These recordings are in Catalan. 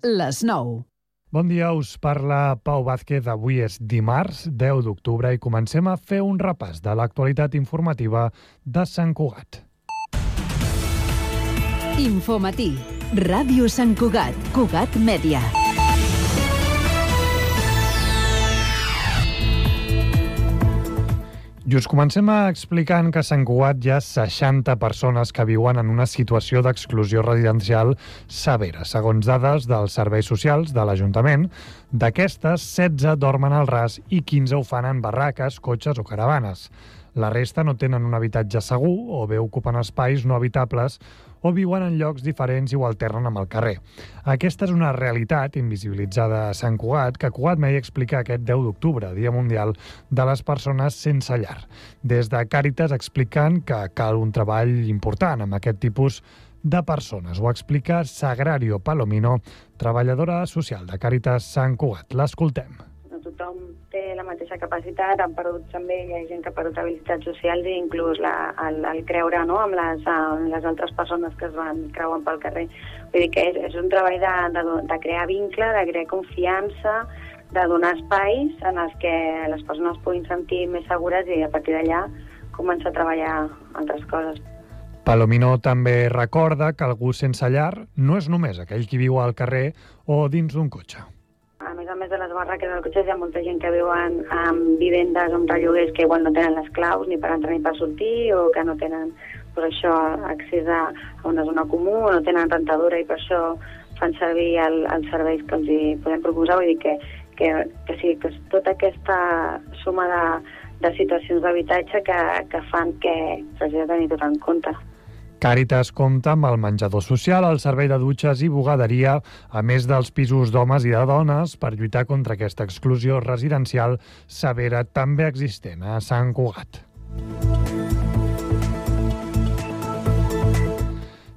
les 9. Bon dia, us parla Pau Vázquez. Avui és dimarts, 10 d'octubre, i comencem a fer un repàs de l'actualitat informativa de Sant Cugat. Infomatí. Ràdio Sant Cugat. Cugat Mèdia. I us comencem explicant que a Sant Cugat hi ha 60 persones que viuen en una situació d'exclusió residencial severa. Segons dades dels serveis socials de l'Ajuntament, d'aquestes, 16 dormen al ras i 15 ho fan en barraques, cotxes o caravanes. La resta no tenen un habitatge segur o bé ocupen espais no habitables o viuen en llocs diferents i ho alternen amb el carrer. Aquesta és una realitat invisibilitzada a Sant Cugat que Cugat Mèdia explica aquest 10 d'octubre, Dia Mundial de les Persones Sense Llar. Des de Càritas expliquen que cal un treball important amb aquest tipus de persones. Ho explica Sagrario Palomino, treballadora social de Càritas Sant Cugat. L'escoltem. No tothom té la mateixa capacitat, han perdut també, hi ha gent que ha perdut habilitats socials i inclús el creure, no?, amb les altres persones que es van creuen pel carrer. Vull dir que és un treball de crear vincle, de crear confiança, de donar espais en els que les persones puguin sentir més segures i a partir d'allà començar a treballar altres coses. Palomino també recorda que algú sense llar no és només aquell qui viu al carrer o dins d'un cotxe. A més de les barraques dels cotxes, hi ha molta gent que viuen en vivendes amb relloguers que igual no tenen les claus ni per entrar ni per sortir o que no tenen per això accés a una zona comú o no tenen rentadora i per això fan servir els serveis que els hi podem proposar. Vull dir que sí, que és tota aquesta suma de situacions d'habitatge que fan que s'hagi de tenir tot en compte. Càritas compta amb el menjador social, el servei de dutxes i bugaderia, a més dels pisos d'homes i de dones, per lluitar contra aquesta exclusió residencial severa també existent a Sant Cugat.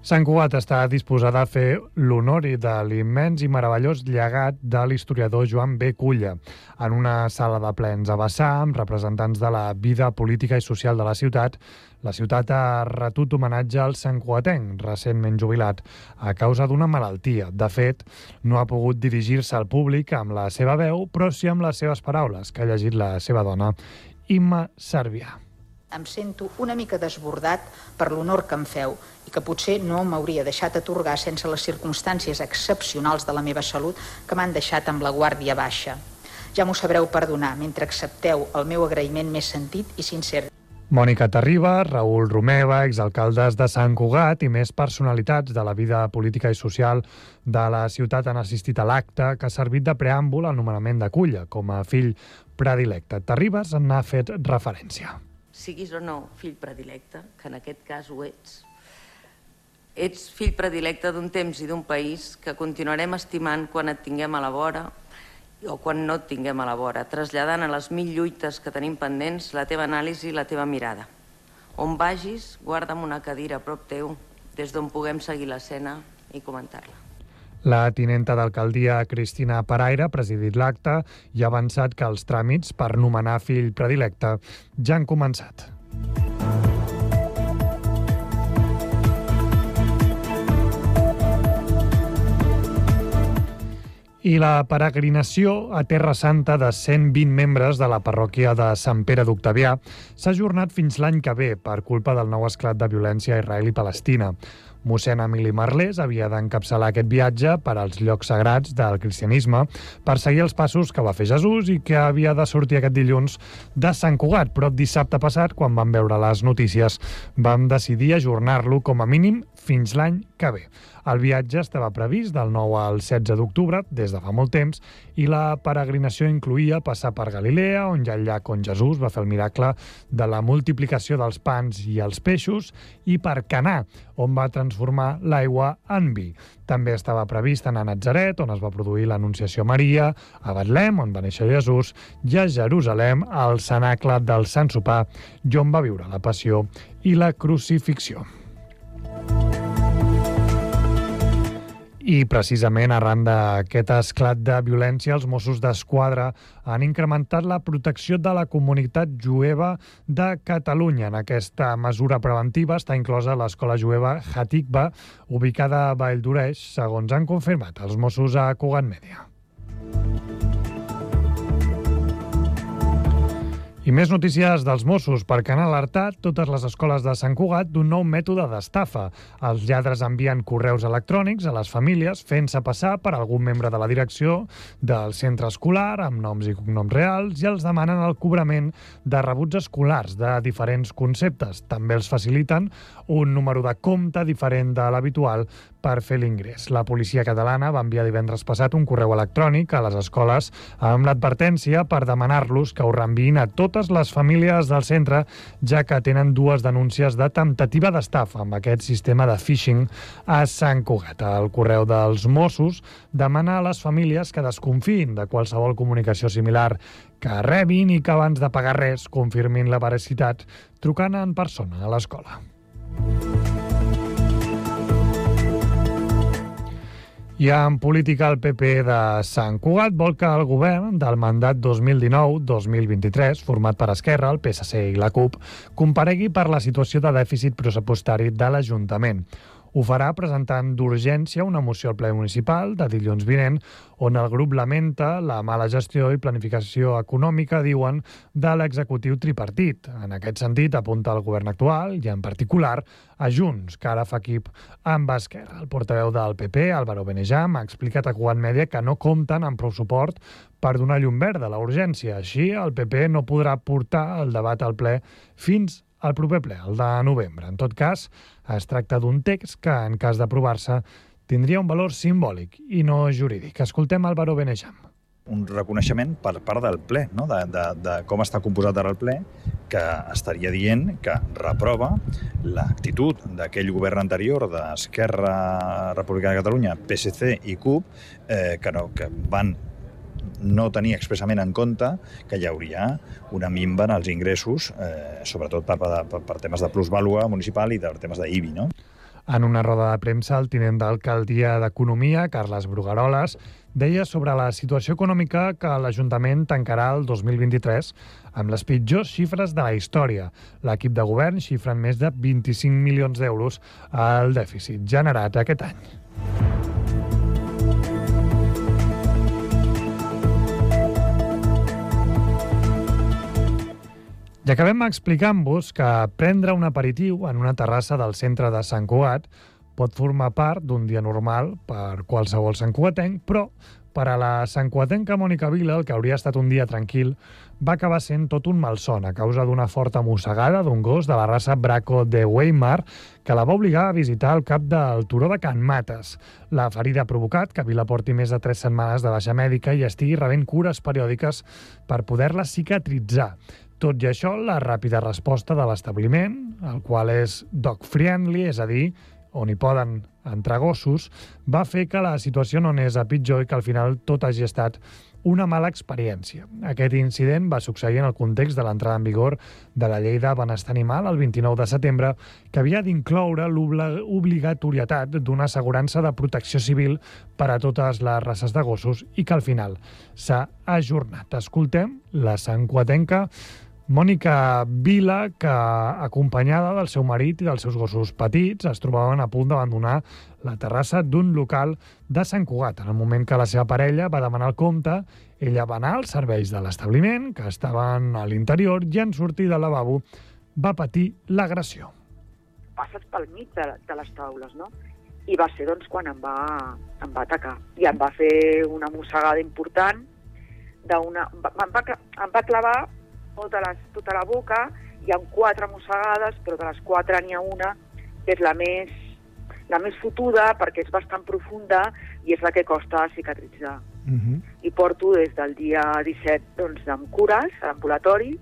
Sant Cugat està disposada a fer l'honor de l'immens i meravellós llegat de l'historiador Joan B. Culla en una sala de plens a Bassà, amb representants de la vida política i social de la ciutat. La ciutat ha retut homenatge al santcugatenc, recentment jubilat, a causa d'una malaltia. De fet, no ha pogut dirigir-se al públic amb la seva veu, però sí amb les seves paraules, que ha llegit la seva dona, Imma Servià. Em sento una mica desbordat per l'honor que em feu i que potser no m'hauria deixat atorgar sense les circumstàncies excepcionals de la meva salut que m'han deixat amb la guàrdia baixa. Ja m'ho sabreu perdonar mentre accepteu el meu agraïment més sentit i sincer. Mònica Terriba, Raül Romeva, exalcaldes de Sant Cugat i més personalitats de la vida política i social de la ciutat han assistit a l'acte que ha servit de preàmbul al nomenament de Culla com a fill predilecte. Terribas n'ha fet referència. Siguis o no fill predilecte, que en aquest cas ho ets fill predilecte d'un temps i d'un país que continuarem estimant quan et tinguem a la vora o quan no et tinguem a la vora, traslladant a les 1000 lluites que tenim pendents la teva anàlisi i la teva mirada. On vagis, guarda'm una cadira a prop teu, des d'on puguem seguir l'escena i comentar-la. La tinenta d'alcaldia Cristina Paraire ha presidit l'acte i ha avançat que els tràmits per nomenar fill predilecte ja han començat. I la peregrinació a Terra Santa de 120 membres de la parròquia de Sant Pere d'Octavià s'ha ajornat fins l'any que ve per culpa del nou esclat de violència a Israel i Palestina. Mossèn Emili Marlés havia d'encapçalar aquest viatge per als llocs sagrats del cristianisme per seguir els passos que va fer Jesús i que havia de sortir aquest dilluns de Sant Cugat, però dissabte passat, quan vam veure les notícies, vam decidir ajornar-lo com a mínim fins l'any que ve. El viatge estava previst del 9 al 16 d'octubre, des de fa molt temps, i la peregrinació incloïa passar per Galilea, on hi ha el llac on Jesús va fer el miracle de la multiplicació dels pans i els peixos, i per Canà, on va transformar l'aigua en vi. També estava previst anar a Natzaret, on es va produir l'Anunciació a Maria, a Betlem, on va néixer Jesús, i a Jerusalem, al cenacle del Sant Sopar, i on va viure la Passió i la Crucifixió. I precisament arran d'aquest esclat de violència, els Mossos d'Esquadra han incrementat la protecció de la comunitat jueva de Catalunya. En aquesta mesura preventiva està inclosa l'escola jueva Hatikva, ubicada a Valldoreix, segons han confirmat els Mossos a Cugat Mèdia. I més notícies dels Mossos, perquè han alertat totes les escoles de Sant Cugat d'un nou mètode d'estafa. Els lladres envien correus electrònics a les famílies fent-se passar per algun membre de la direcció del centre escolar amb noms i cognoms reals i els demanen el cobrament de rebuts escolars de diferents conceptes. També els faciliten un número de compte diferent de l'habitual per fer l'ingrés. La policia catalana va enviar divendres passat un correu electrònic a les escoles amb l'advertència per demanar-los que ho reenviïn a totes les famílies del centre, ja que tenen 2 denúncies de temptativa d'estafa amb aquest sistema de phishing a Sant Cugat. El correu dels Mossos demana a les famílies que desconfiïn de qualsevol comunicació similar que rebin i que abans de pagar res confirmin la veracitat trucant en persona a l'escola. I en política, el PP de Sant Cugat vol que el govern del mandat 2019-2023, format per Esquerra, el PSC i la CUP, comparegui per la situació de dèficit pressupostari de l'Ajuntament. Ho farà presentant d'urgència una moció al ple municipal de dilluns vinent, on el grup lamenta la mala gestió i planificació econòmica, diuen, de l'executiu tripartit. En aquest sentit, apunta el govern actual i, en particular, a Junts, que ara fa equip amb Esquerra. El portaveu del PP, Álvaro Benejam, ha explicat a Cugat Mèdia que no compten amb prou suport per donar llum verda a la urgència. Així, el PP no podrà portar el debat al ple fins al proper ple, el de novembre. En tot cas, es tracta d'un text que, en cas d'aprovar-se, tindria un valor simbòlic i no jurídic. Escoltem Álvaro Benejam. Un reconeixement per part del ple, no? de com està composat ara el ple, que estaria dient que reprova l'actitud d'aquell govern anterior d'Esquerra Republicana de Catalunya, PSC i CUP, que van no tenir expressament en compte que hi hauria una minva en els ingressos, sobretot per temes de plusvàlua municipal i per temes d'IBI, no? En una roda de premsa, el tinent d'alcaldia d'Economia, Carles Brugaroles, deia sobre la situació econòmica que l'Ajuntament tancarà el 2023 amb les pitjors xifres de la història. L'equip de govern xifra en més de 25 milions d'euros al dèficit generat aquest any. I acabem explicant-vos que prendre un aperitiu en una terrassa del centre de Sant Cugat pot formar part d'un dia normal per qualsevol santcugatenc, però per a la santcugatenca Mònica Vila, el que hauria estat un dia tranquil, va acabar sent tot un malson a causa d'una forta mossegada d'un gos de la raça Braco de Weimar que la va obligar a visitar el cap del turó de Can Mates. La ferida ha provocat que Vila porti més de 3 setmanes de baixa mèdica i estigui rebent cures periòdiques per poder-la cicatritzar. Tot i això, la ràpida resposta de l'establiment, el qual és dog-friendly, és a dir, on hi poden entrar gossos, va fer que la situació no anés a pitjor i que al final tot hagi estat una mala experiència. Aquest incident va succeir en el context de l'entrada en vigor de la Llei de Benestar Animal el 29 de setembre, que havia d'incloure l'obligatorietat d'una assegurança de protecció civil per a totes les races de gossos i que al final s'ha ajornat. Escoltem la santcugatenca Mònica Vila, que, acompanyada del seu marit i dels seus gossos petits, es trobaven a punt d'abandonar la terrassa d'un local de Sant Cugat. En el moment que la seva parella va demanar el compte, ella va anar als serveis de l'establiment, que estaven a l'interior, i en sortir del lavabo va patir l'agressió. Passes pel mig de les taules, no? I va ser doncs, quan em va atacar. I em va fer una mossegada important, em va clavar tota la boca, hi ha 4 mossegades, però de les 4 n'hi ha una que és la més fotuda perquè és bastant profunda i és la que costa cicatritzar. I porto des del dia 17 doncs, amb cures a l'ambulatori.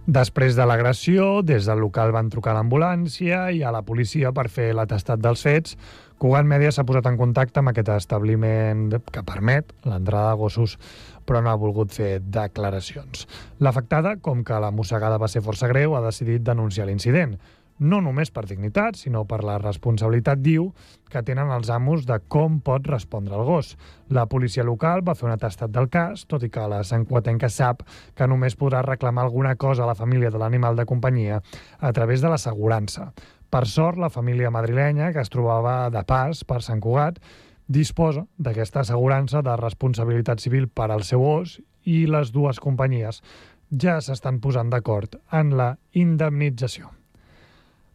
Després de l'agressió, des del local van trucar a l'ambulància i a la policia per fer l'atestat dels fets. Cugat Mèdia s'ha posat en contacte amb aquest establiment que permet l'entrada de gossos, però no ha volgut fer declaracions. L'afectada, com que la mossegada va ser força greu, ha decidit denunciar l'incident. no només per dignitat, sinó per la responsabilitat, diu, que tenen els amos de com pot respondre el gos. La policia local va fer un atestat del cas, tot i que la santcugatenca sap que només podrà reclamar alguna cosa a la família de l'animal de companyia a través de l'assegurança. Per sort, la família madrilenya, que es trobava de pas per Sant Cugat, disposa d'aquesta assegurança de responsabilitat civil per al seu ós i les dues companyies ja s'estan posant d'acord en la indemnització.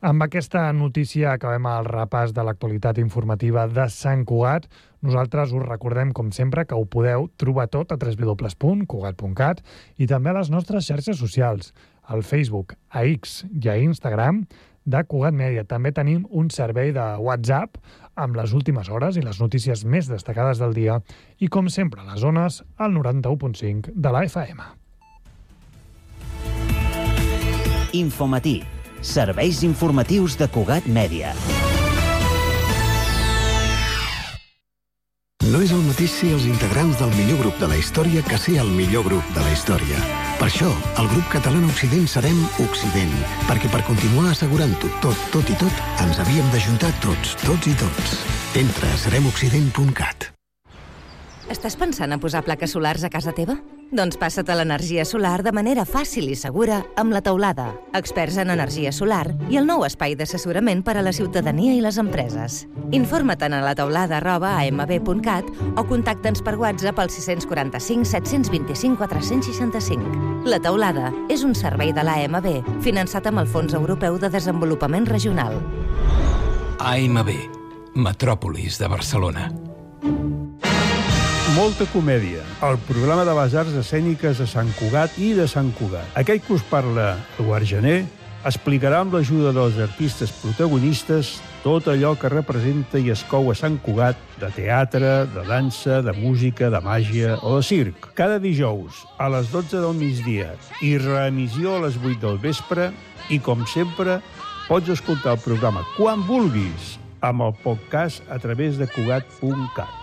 Amb aquesta notícia acabem el repàs de l'actualitat informativa de Sant Cugat. Nosaltres us recordem, com sempre, que ho podeu trobar tot a www.cugat.cat i també a les nostres xarxes socials, al Facebook, a X i a Instagram de Cugat Mèdia. També tenim un servei de WhatsApp amb les últimes hores i les notícies més destacades del dia i, com sempre, a les zones, al 91.5 de la FM. Infomatí. Serveis informatius de Cugat Mèdia. No és el mateix ser els integrants del millor grup de la història que ser el millor grup de la història. Per això, el grup català Occident serem Occident, perquè per continuar assegurant-ho tot i tot, ens havíem d'ajuntar tots i tots. Entra a seremoccident.cat. Estàs pensant a posar plaques solars a casa teva? Doncs passa't a l'energia solar de manera fàcil i segura amb La Teulada, experts en energia solar i el nou espai d'assessorament per a la ciutadania i les empreses. Informa't a lateulada@amb.cat o contacta'ns per WhatsApp al 645 725 465. La Teulada és un servei de l'AMB finançat amb el Fons Europeu de Desenvolupament Regional. AMB, Metròpolis de Barcelona. Molta comèdia, el programa de les arts escèniques de Sant Cugat i de Sant Cugat. Aquell que us parla, Eduard Gené, explicarà amb l'ajuda dels artistes protagonistes tot allò que representa i es cou a Sant Cugat de teatre, de dansa, de música, de màgia o de circ. Cada dijous a les 12 del migdia i reemissió a les 8 del vespre i, com sempre, pots escoltar el programa quan vulguis amb el podcast a través de Cugat.cat.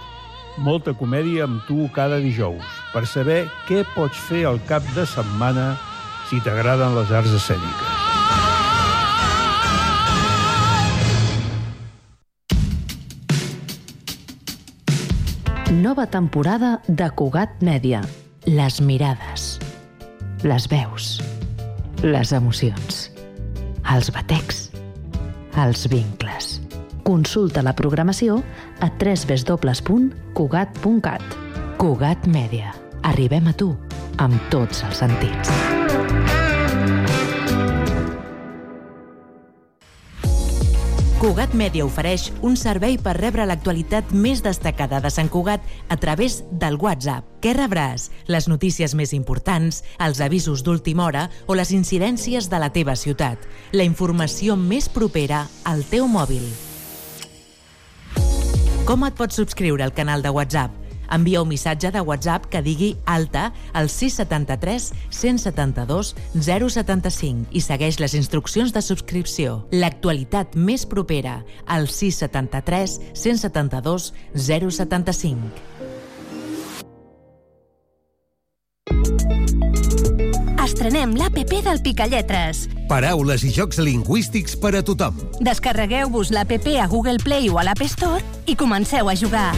Molta comèdia amb tu cada dijous per saber què pots fer al cap de setmana si t'agraden les arts escèniques. Nova temporada de Cugat Mèdia. Les mirades, les veus, les emocions, els batecs, els vincles. Consulta la programació a www.cugat.cat. Cugat Mèdia. Arribem a tu amb tots els sentits. Cugat Mèdia ofereix un servei per rebre l'actualitat més destacada de Sant Cugat a través del WhatsApp. Què rebràs? Les notícies més importants, els avisos d'última hora o les incidències de la teva ciutat. La informació més propera al teu mòbil. Com et pots subscriure al canal de WhatsApp? Envia un missatge de WhatsApp que digui alta al 673 172 075 i segueix les instruccions de subscripció. L'actualitat més propera al 673 172 075. Estrenem l'APP del Picalletres. Paraules i jocs lingüístics per a tothom. Descarregueu-vos l'APP a Google Play o a l'App Store i comenceu a jugar.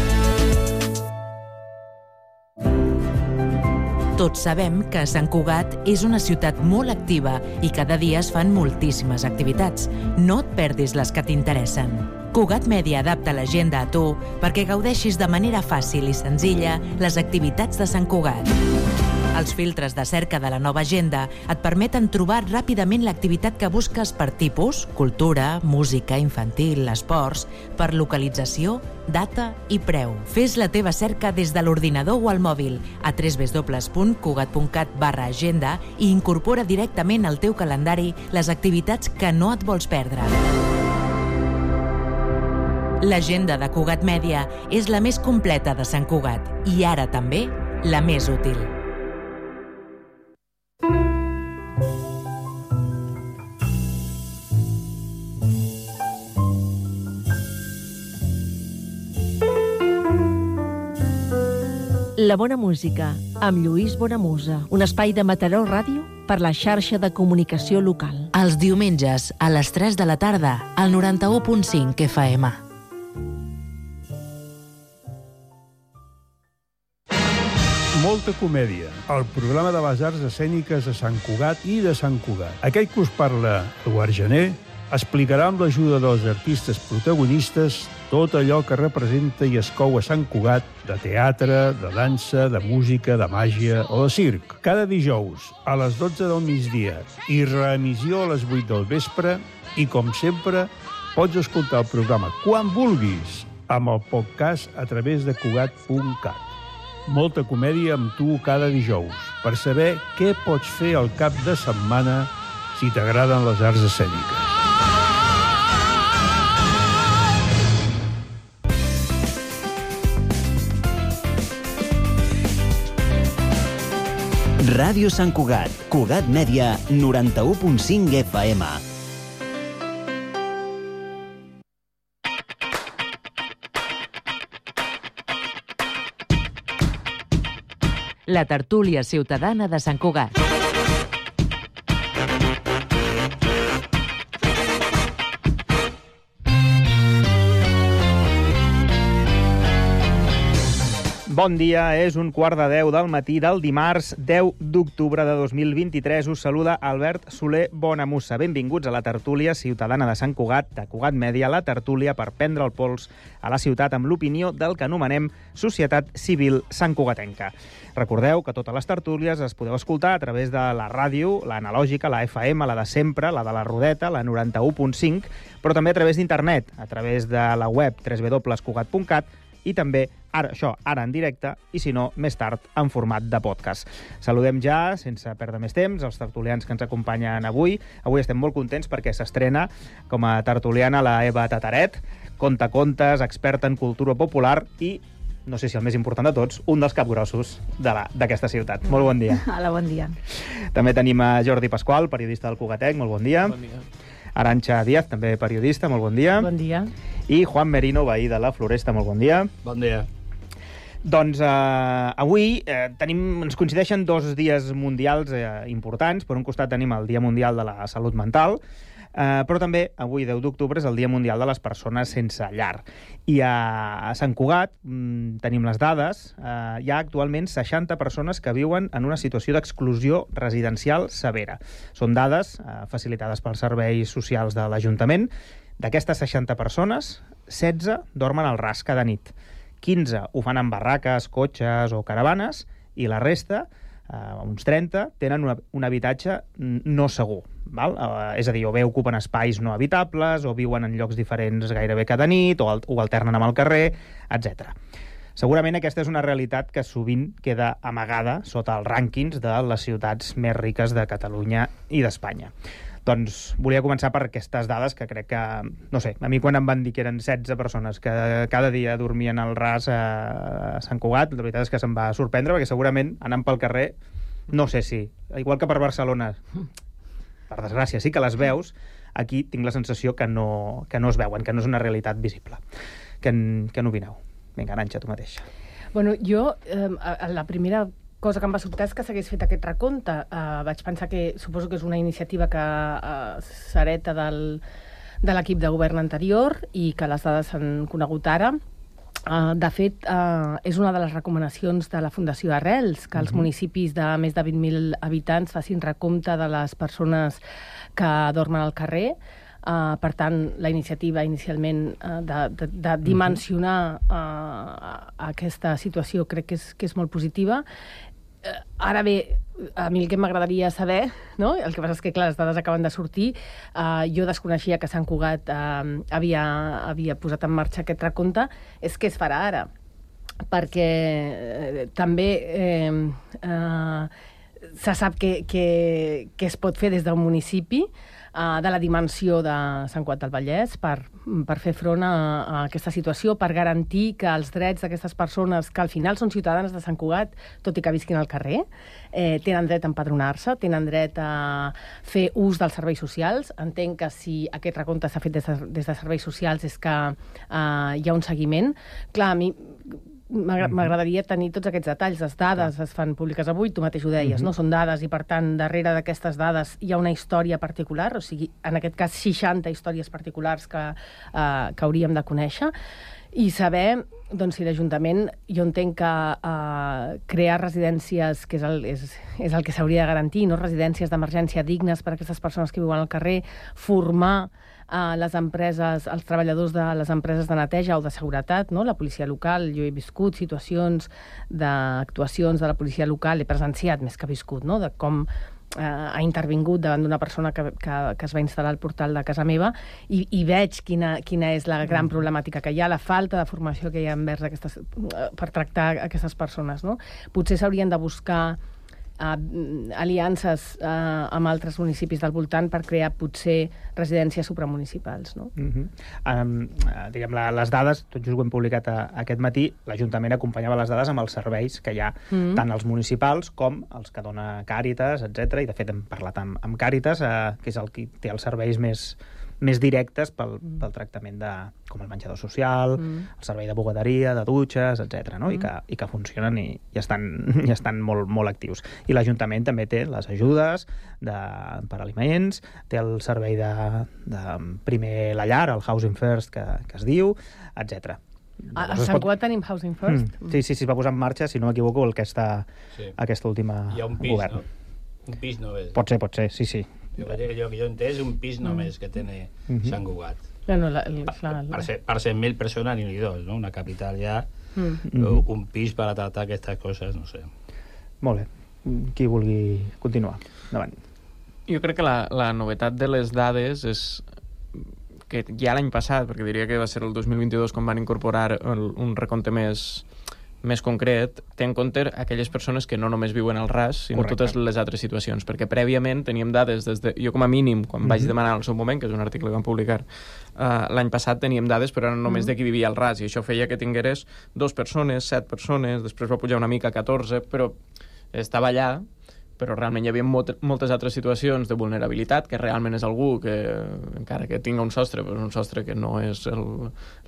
Tots sabem que Sant Cugat és una ciutat molt activa i cada dia es fan moltíssimes activitats. No et perdis les que t'interessen. Cugat Mèdia adapta l'agenda a tu perquè gaudeixis de manera fàcil i senzilla les activitats de Sant Cugat. Els filtres de cerca de la nova agenda et permeten trobar ràpidament l'activitat que busques per tipus, cultura, música, infantil, esports, per localització, data i preu. Fes la teva cerca des de l'ordinador o al mòbil a www.cugat.cat/agenda i incorpora directament al teu calendari les activitats que no et vols perdre. L'agenda de Cugat Mèdia és la més completa de Sant Cugat i ara també la més útil. La bona música, amb Lluís Bonamusa. Un espai de Mataró Ràdio per la xarxa de comunicació local. Els diumenges, a les 3 de la tarda, al 91.5 FM. Molta comèdia, el programa de les arts escèniques de Sant Cugat i de Sant Cugat. Aquell que us parla, Eduard Gené, explicarà amb l'ajuda dels artistes protagonistes tot allò que representa i es cou a Sant Cugat de teatre, de dansa, de música, de màgia o de circ. Cada dijous a les 12 del migdia i reemissió a les 8 del vespre i, com sempre, pots escoltar el programa quan vulguis amb el podcast a través de Cugat.cat. Molta comèdia amb tu cada dijous per saber què pots fer al cap de setmana si t'agraden les arts escèniques. Ràdio Sant Cugat, Cugat Mèdia, 91.5 FM. La tertúlia ciutadana de Sant Cugat. Bon dia, és 9:15 del matí del dimarts 10 d'octubre de 2023. Us saluda Albert Soler Bonamusa. Benvinguts a la tertúlia ciutadana de Sant Cugat, de Cugat Mèdia, la tertúlia per prendre el pols a la ciutat amb l'opinió del que anomenem Societat Civil Santcugatenca. Recordeu que totes les tertúlies es podeu escoltar a través de la ràdio, la analògica, la FM, la de sempre, la de la Rodeta, la 91.5, però també a través d'internet, a través de la web www.cugat.cat i també ara en directe i, si no, més tard en format de podcast. Saludem ja, sense perdre més temps, els tertulians que ens acompanyen avui. Avui estem molt contents perquè s'estrena com a tertuliana la Eva Tataret, contacontes, experta en cultura popular i, no sé si el més important de tots, un dels capgrossos d'aquesta ciutat. Molt bon dia. Hola, bon dia. També tenim a Jordi Pasqual, periodista del Cugatec. Molt bon dia. Bon dia. Arantxa Díaz, també periodista. Molt bon dia. Bon dia. I Juan Merino, veí de la Floresta. Molt bon dia. Bon dia. Doncs avui ens coincideixen dos dies mundials importants. Per un costat tenim el Dia Mundial de la Salut Mental, però també avui, 10 d'octubre, és el Dia Mundial de les Persones Sense Llar. I a Sant Cugat tenim les dades. Hi ha actualment 60 persones que viuen en una situació d'exclusió residencial severa. Són dades facilitades pels serveis socials de l'Ajuntament. D'aquestes 60 persones, 16 dormen al ras cada nit. 15 ho fan en barraques, cotxes o caravanes, i la resta, uns 30, tenen un habitatge no segur. Val? És a dir, o bé ocupen espais no habitables, o viuen en llocs diferents gairebé cada nit, o alternen amb el carrer, etc. Segurament aquesta és una realitat que sovint queda amagada sota els rànquings de les ciutats més riques de Catalunya i d'Espanya. Doncs volia començar per aquestes dades que crec que, no sé, a mi quan em van dir que eren 16 persones que cada dia dormien al ras a Sant Cugat, la veritat és que se'm va sorprendre, perquè segurament anant pel carrer, no sé si, igual que per Barcelona, per desgràcia, sí que les veus, aquí tinc la sensació que no es veuen, que no és una realitat visible. Què n'opineu? Vinga, Arantxa, tu mateixa. Bueno, jo, la primera cosa que em va sobtar és que s'hagués fet aquest recompte. Vaig pensar que, suposo que és una iniciativa que s'hereta de l'equip de govern anterior i que les dades s'han conegut ara. De fet, és una de les recomanacions de la Fundació Arrels, que els municipis de més de 20.000 habitants facin recompte de les persones que dormen al carrer. Per tant, la iniciativa inicialment de dimensionar aquesta situació crec que és molt positiva. Ara bé, a mi el que m'agradaria saber, no? El que passa és que, clar, les dades acaben de sortir. Jo desconeixia que Sant Cugat havia posat en marxa aquest recompte. És què es farà ara? Perquè també se sap que es pot fer des d'un municipi de la dimensió de Sant Cugat del Vallès per fer front a aquesta situació, per garantir que els drets d'aquestes persones, que al final són ciutadanes de Sant Cugat, tot i que visquin al carrer, tenen dret a empadronar-se, tenen dret a fer ús dels serveis socials. Entenc que si aquest recompte s'ha fet des de serveis socials és que hi ha un seguiment. Clar, a mi m'agradaria tenir tots aquests detalls. Les dades es fan públiques avui, tu mateix ho deies, no? Són dades i, per tant, darrere d'aquestes dades hi ha una història particular, o sigui, en aquest cas 60 històries particulars que hauríem de conèixer, i saber doncs, si l'Ajuntament, jo entenc que crear residències, que és el que s'hauria de garantir, no? Residències d'emergència dignes per a aquestes persones que viuen al carrer, formar les empreses, els treballadors de les empreses de neteja o de seguretat, no? La policia local. Jo he viscut situacions d'actuacions de la policia local, he presenciat més que viscut, no? De com ha intervingut davant d'una persona que es va instal·lar al portal de casa meva i veig quina és la gran problemàtica que hi ha, la falta de formació que hi ha envers per tractar aquestes persones, no? Potser s'haurien de buscar aliances amb altres municipis del voltant per crear potser residències supramunicipals, no? Diguem, les dades, tot just ho hem publicat aquest matí, l'Ajuntament acompanyava les dades amb els serveis que hi ha, tant els municipals com els que dona Càritas, etc. I de fet hem parlat amb Càritas, que és el que té els serveis més directes pel tractament com el menjador social, el servei de bugaderia, de dutxes, etc. No? I que funcionen i estan molt, molt actius. I l'Ajuntament també té les ajudes per aliments, té el servei de primer la llar, el Housing First, que es diu, etc. A Sant Cugat tenim Housing First? Sí, es va posar en marxa, si no m'equivoco, aquesta última govern. Hi ha un pis, no? Un pis només. Pot ser, sí. Jo que jo he entès un pis només que té Sant Cugat. Per 100.000 persones ni dos, no? Una capital ja, un pis per a tractar aquestes coses, no sé. Molt bé. Qui vulgui continuar? Endavant. Jo crec que la novetat de les dades és que ja l'any passat, perquè diria que va ser el 2022 quan van incorporar un recompte més concret, té en compte aquelles persones que no només viuen al ras, sinó totes les altres situacions, perquè prèviament teníem dades jo com a mínim, quan vaig demanar al seu moment, que és un article que vam publicar l'any passat, teníem dades però eren només de qui vivia al ras, i això feia que tingueres 2 persones, 7 persones, després va pujar una mica a 14, però estava allà, però realment hi havia moltes altres situacions de vulnerabilitat, que realment és algú que, encara que tinga un sostre, però és un sostre que no és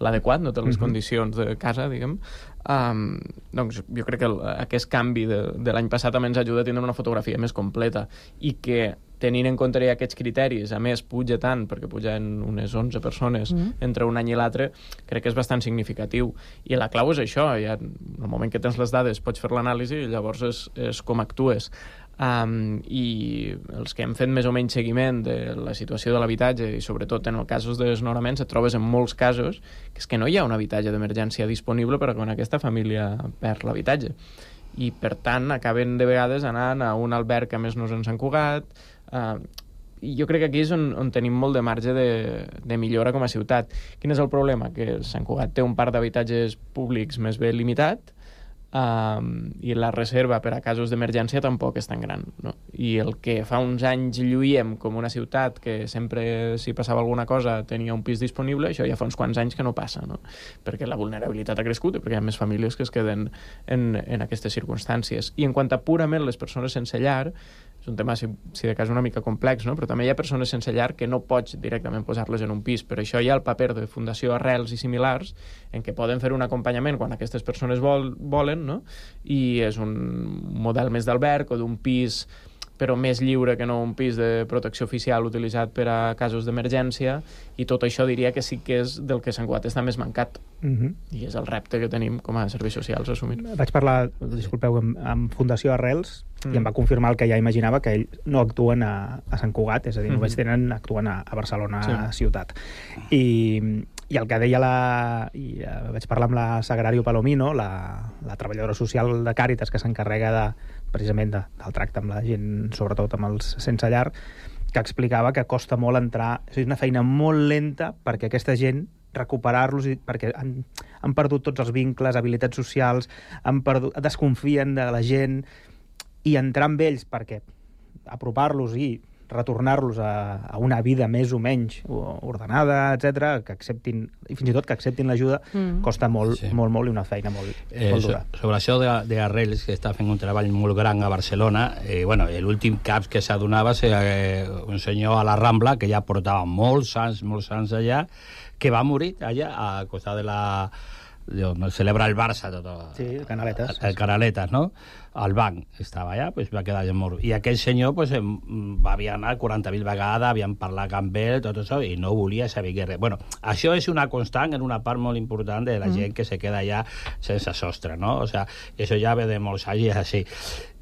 l'adequat, no té les condicions de casa, diguem. Doncs jo crec que aquest canvi de l'any passat també ens ajuda a tindre una fotografia més completa i que, tenint en compte aquests criteris, a més puja tant, perquè pugen unes 11 persones entre un any i l'altre, crec que és bastant significatiu. I la clau és això, ja, en el moment que tens les dades pots fer l'anàlisi i llavors és com actues. I els que hem fet més o menys seguiment de la situació de l'habitatge i sobretot en els casos de desnonaments et trobes en molts casos que és que no hi ha un habitatge d'emergència disponible per a quan aquesta família perd l'habitatge i per tant acaben de vegades anant a un alberg que a més no és en Sant Cugat i jo crec que aquí és on tenim molt de marge de millora com a ciutat. Quin és el problema? Que Sant Cugat té un parc d'habitatges públics més ben limitat i la reserva per a casos d'emergència tampoc és tan gran, no? I el que fa uns anys lluïem com una ciutat que sempre si passava alguna cosa tenia un pis disponible, això ja fa uns quants anys que no passa, no? Perquè la vulnerabilitat ha crescut i perquè hi ha més famílies que es queden en aquestes circumstàncies. I en quant a purament les persones sense llar, és un tema, si de cas, una mica complex, no? Però també hi ha persones sense llar que no pots directament posar-les en un pis. Per això hi ha el paper de Fundació Arrels i similars, en què poden fer un acompanyament quan aquestes persones volen, no? I és un model més d'alberg o d'un pis però més lliure que no un pis de protecció oficial utilitzat per a casos d'emergència, i tot això diria que sí que és del que Sant Cugat està més mancat. I és el repte que tenim com a serveis socials a assumir. Vaig parlar, disculpeu, amb Fundació Arrels i em va confirmar el que ja imaginava, que ells no actuen a Sant Cugat, és a dir, només actuen a Barcelona ciutat. I el que deia vaig parlar amb la Sagrario Palomino, la treballadora social de Càritas que s'encarrega precisament del tracte amb la gent, sobretot amb els sense llar, que explicava que costa molt entrar, és una feina molt lenta perquè aquesta gent recuperar-los, perquè han perdut tots els vincles, habilitats socials, desconfien de la gent, i entrar amb ells perquè apropar-los i retornar-los a una vida més o menys ordenada, etc., que acceptin, i fins i tot que acceptin l'ajuda, costa molt, molt, i una feina molt dura. Sobre això d'Arrels, que està fent un treball molt gran a Barcelona, l'últim cap que s'adonava és un senyor a la Rambla, que ja portava molts anys allà, que va morir allà, a costat de donde celebra el Barça, sí, Canaletas. El Canaletas, ¿no? Al banc estava allà, pues va quedar mort. I aquell senyor pues, havia anat 40.000 vegades, havien parlat amb ell, tot això, i no volia saber res. Bueno, això és una constant en una part molt important de la gent que se queda allà sense sostre, ¿no? O sea, eso ya ve de molts anys i és així.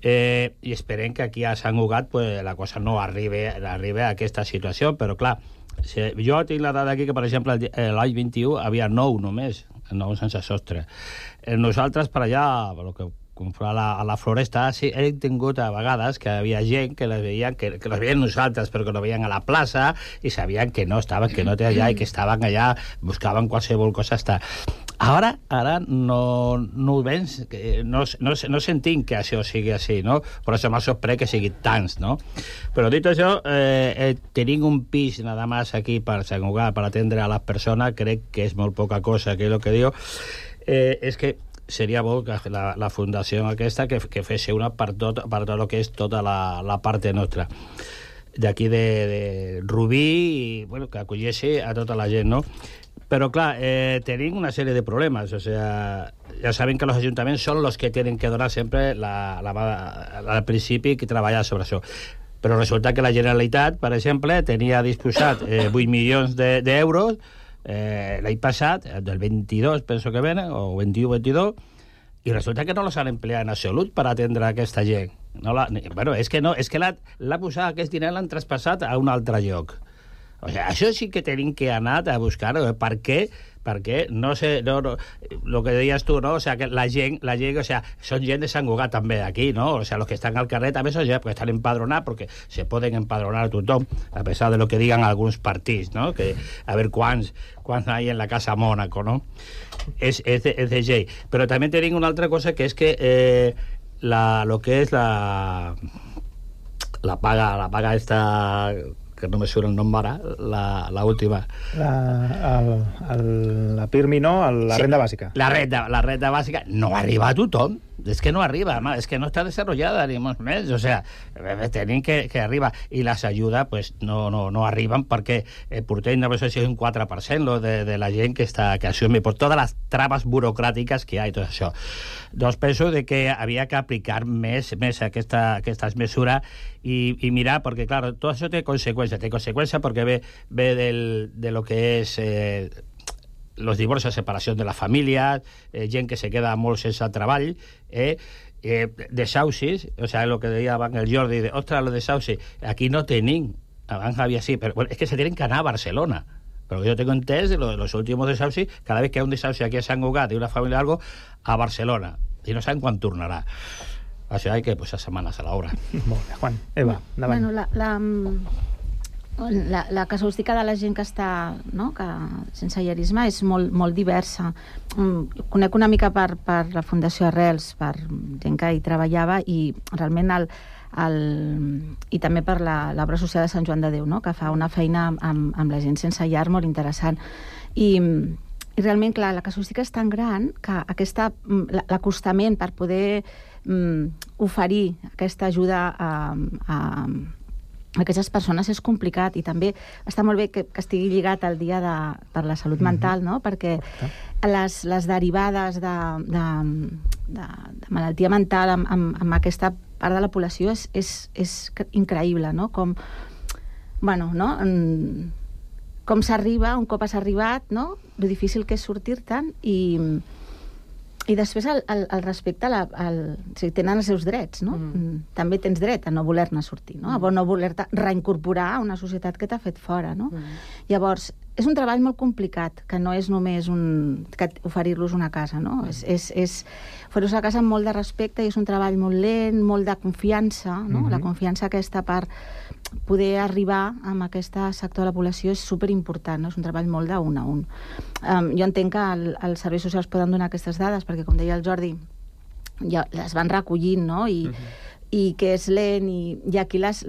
I esperem que aquí a Sant Cugat pues, la cosa no arribi a aquesta situació, però clar, jo tinc la dada aquí que, per exemple, l'any 21 havia 9 només, 9 sense sostre. Nosaltres per allà, pel que a la floresta, sí, hem tingut a vegades que havia gent que les veien, que les veien nosaltres, però que no veien a la plaça i sabien que no estaven, que no té allà i que estaven allà, buscaven qualsevol cosa estar. Ara no ho veus, no sentim que això sigui així, no? Per això m'ha sorprès que sigui tants, no? Però dit això, tenim un pis nada más aquí per Sant Cugat, per atendre a les persones, crec que és molt poca cosa, que és el que diu, és que seria bo que la fundació aquesta que fes una per tot el que és tota la part nostra d'aquí de Rubí i bueno, que acolleixi a tota la gent, no? Però clar, tenim una sèrie de problemes, o sea, ja saben que los ayuntamientos son los que tienen que donar sempre al principi que treballar sobre això. Però resulta que la Generalitat, per exemple, tenia disposat 8 milions d'euros l'any passat, del 22 penso que venen, o 21-22, i resulta que no los han empleat en absolut per atendre aquesta gent. Bueno, és que l'ha posat aquest diner, l'han traspassat a un altre lloc. O sigui, això sí que tenim que anar a buscar per què, perquè no sé, lo que deies tu, no? O sea, que la gent, o sea, son gent de Sant Cugat també aquí, no? O sea, los que están al carrer també son gent que estan empadronats porque se poden empadronar a tothom, a pesar de lo que digan alguns partits, no? Que a ver quants hay en la Casa Mónaco, no? És de llei. Però també tenim una altra cosa que és que lo que és la paga esta que no me surt el nom ara, la última. La PIRMI, no? La renda bàsica. La renda bàsica no arriba a tothom. És que no arriba, és que no està desarrollada, ni molt més. O sea, tenim que arribar. I les ajudes pues, no arriben perquè portem, no sé si és un 4% de la gent que assume per totes les traves burocràtiques que hi ha i tot això. Doncs penso que havia que aplicar més aquestes mesures i mirar, perquè, clar, tot això té conseqüències. Té conseqüències perquè ve de lo que és los divorcios, separación de las familias, gent que se queda molt sense treball, desahucis, o sea, lo que deia abans el Jordi, ostres, los desahucis, aquí no tenim, abans havia sí, però bueno, es que se tienen que anar a Barcelona. Pero yo tengo entès de los últimos desahucis, cada vez que hay un desahuci aquí a Sant Cugat de una familia o algo, a Barcelona, i no saben quan tornarà. O sea, hay que posar setmanes a l'obra. Molt bé, Juan. Eva, endavant. Bueno, la casuística de la gent que està sense llerisme és molt diversa. Conec una mica per la Fundació Arrels, per gent que hi treballava, i realment i també per l'obra social de Sant Joan de Déu, que fa una feina amb la gent sense llar molt interessant. I realment, clar, la casuística és tan gran que l'acostament per poder oferir aquesta ajuda a aquestes persones és complicat, i també està molt bé que estigui lligat al dia per la salut mental, no? Perquè les derivades de malaltia mental amb aquesta part de la població és increïble, no? Com s'arriba, un cop has arribat, no? Lo difícil que és sortir-te'n, i després el respecte si tenen els seus drets, no? També tens dret a no voler-ne sortir, no? A no voler-te reincorporar a una societat que t'ha fet fora, no? Llavors, és un treball molt complicat, que no és només oferir-los una casa, no? És oferir-los una casa amb molt de respecte, i és un treball molt lent, molt de confiança, no? La confiança aquesta per poder arribar amb aquest sector de la població és superimportant, no? És un treball molt d'un a un. Jo entenc que els serveis socials poden donar aquestes dades, perquè, com deia el Jordi, ja les van recollint, no? I que és lent, i aquí les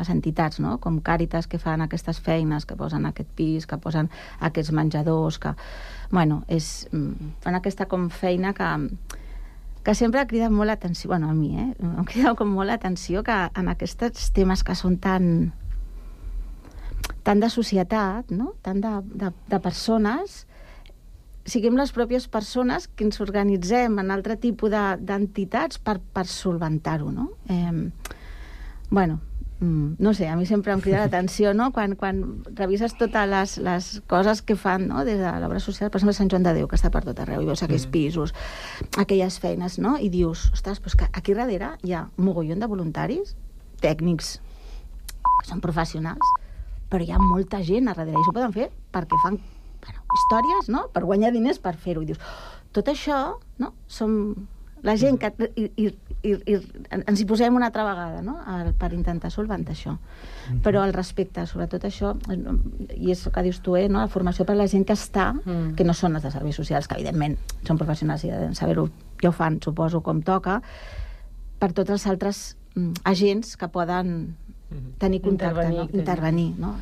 entitats, no? Com Càritas, que fan aquestes feines, que posen aquest pis, que posen aquests menjadors, que, bueno, fan aquesta com feina que sempre ha cridat molt l'atenció, bueno, a mi, em crida com molt l'atenció que en aquests temes que són tan de societat, no? Tant de persones, siguem les pròpies persones que ens organitzem en altre tipus d'entitats per solventar-ho, no? Bueno, no sé, a mi sempre em crida l'atenció, no? Quan revises totes les coses que fan, no? Des de l'obra social, per exemple, Sant Joan de Déu, que està per tot arreu, i veus aquells pisos, aquelles feines, no? I dius, ostres, però és que aquí darrere hi ha un mogollon de voluntaris, tècnics, que són professionals, però hi ha molta gent a darrere, i s'ho poden fer perquè fan històries, no? Per guanyar diners per fer-ho. I dius, tot això, no? Som la gent que ens hi posem una altra vegada, no? Per intentar solventar això. Però al respecte, sobretot això, i és el que dius tu, no? La formació per a la gent que està, que no són els de serveis socials, que evidentment són professionals i de saber-ho, ja ho fan, suposo, com toca, per tots els altres agents que poden tenir contacte, intervenir, no?